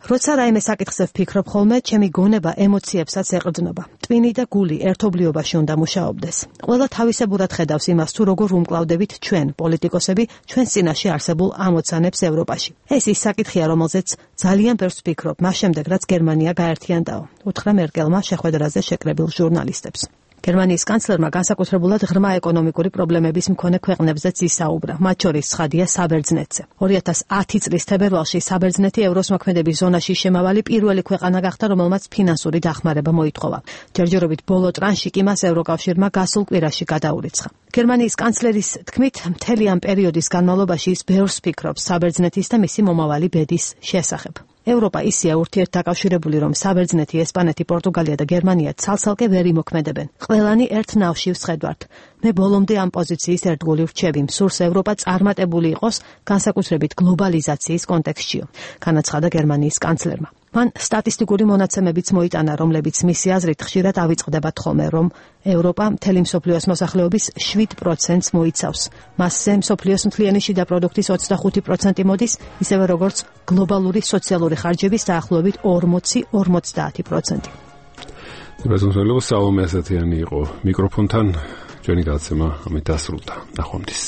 როცა რაიმე საკითხზე ვფიქრობ ხოლმე, ჩემი გონება ემოციებსაც ეყრდნობა. ტვინი და გული ერთობლიობაში უნდა მუშაობდეს. ყველა თავისებურად ხედავს იმას, თუ როგორ უმკლავდებით ჩვენ, პოლიტიკოსები, ჩვენს წინაშე არსებულ ამოცანებს ევროპაში. ეს ის საკითხია, რომელზეც ძალიან ბევრს ვფიქრობ, მას შემდეგ, რაც გერმანია გაერთიანდაო, უთხრა მერკელმა შეხვედრაზე შეკრებილ ჟურნალისტებს. გერმანიის კანცლერმა განსაკუთრებულად ღრმა ეკონომიკური პრობლემების მქონე ქვეყნებზეც ისაუბრა, მათ შორის ცხადია საბერძნეთზე. 2010 წლის თებერვალში საბერძნეთი ევროს მოქმედების ზონაში შემავალი პირველი ქვეყანა გახდა, რომელმაც ფინანსური დახმარება მოითხოვა. ჯერჯერობით ბოლო ტრანში კი მას ევროკავშირმა გასულ კვირაში გადაურიცხა. გერმანიის კანცლერის თქმით, მთელი ამ პერიოდის განმავლობაში ის ბევრს ფიქრობს საბერძნეთის და მისი მომავალი ბედის შესახებ. ევროპა ისეა ურთიერთდაკავშირებული, რომ საბერძნეთი, ესპანეთი, პორტუგალია და გერმანია ცალ-ცალკე ვერ იმოქმედებენ. ყველანი ერთ ნავში ვსხედვართ. მე ბოლომდე ამ პოზიციის ერთგული ვრჩები. მსურს ევროპა წარმატებული იყოს, განსაკუთრებით გლობალიზაციის კონტექსტშიო, განაცხადა გერმანიის კანცლერმა. მან სტატისტიკური მონაცემებიც მოიტანა, რომლებიც მისი აზრით ხშირად ავიწყდებათ ხოლმე, რომ ევროპა მთელი მსოფლიოს მოსახლეობის 7%-ს მოიცავს. მასზე მსოფლიოს მთლიანი შიდა პროდუქტის 25% მოდის, ისევე როგორც გლობალური სოციალური ხარჯების დაახლოებით 40-50%. ბაზონსელო საომე ასათიანი იყო მიკროფონთან, ჩვენი გადაცემა ამით დასრულდა. ნახვამდის.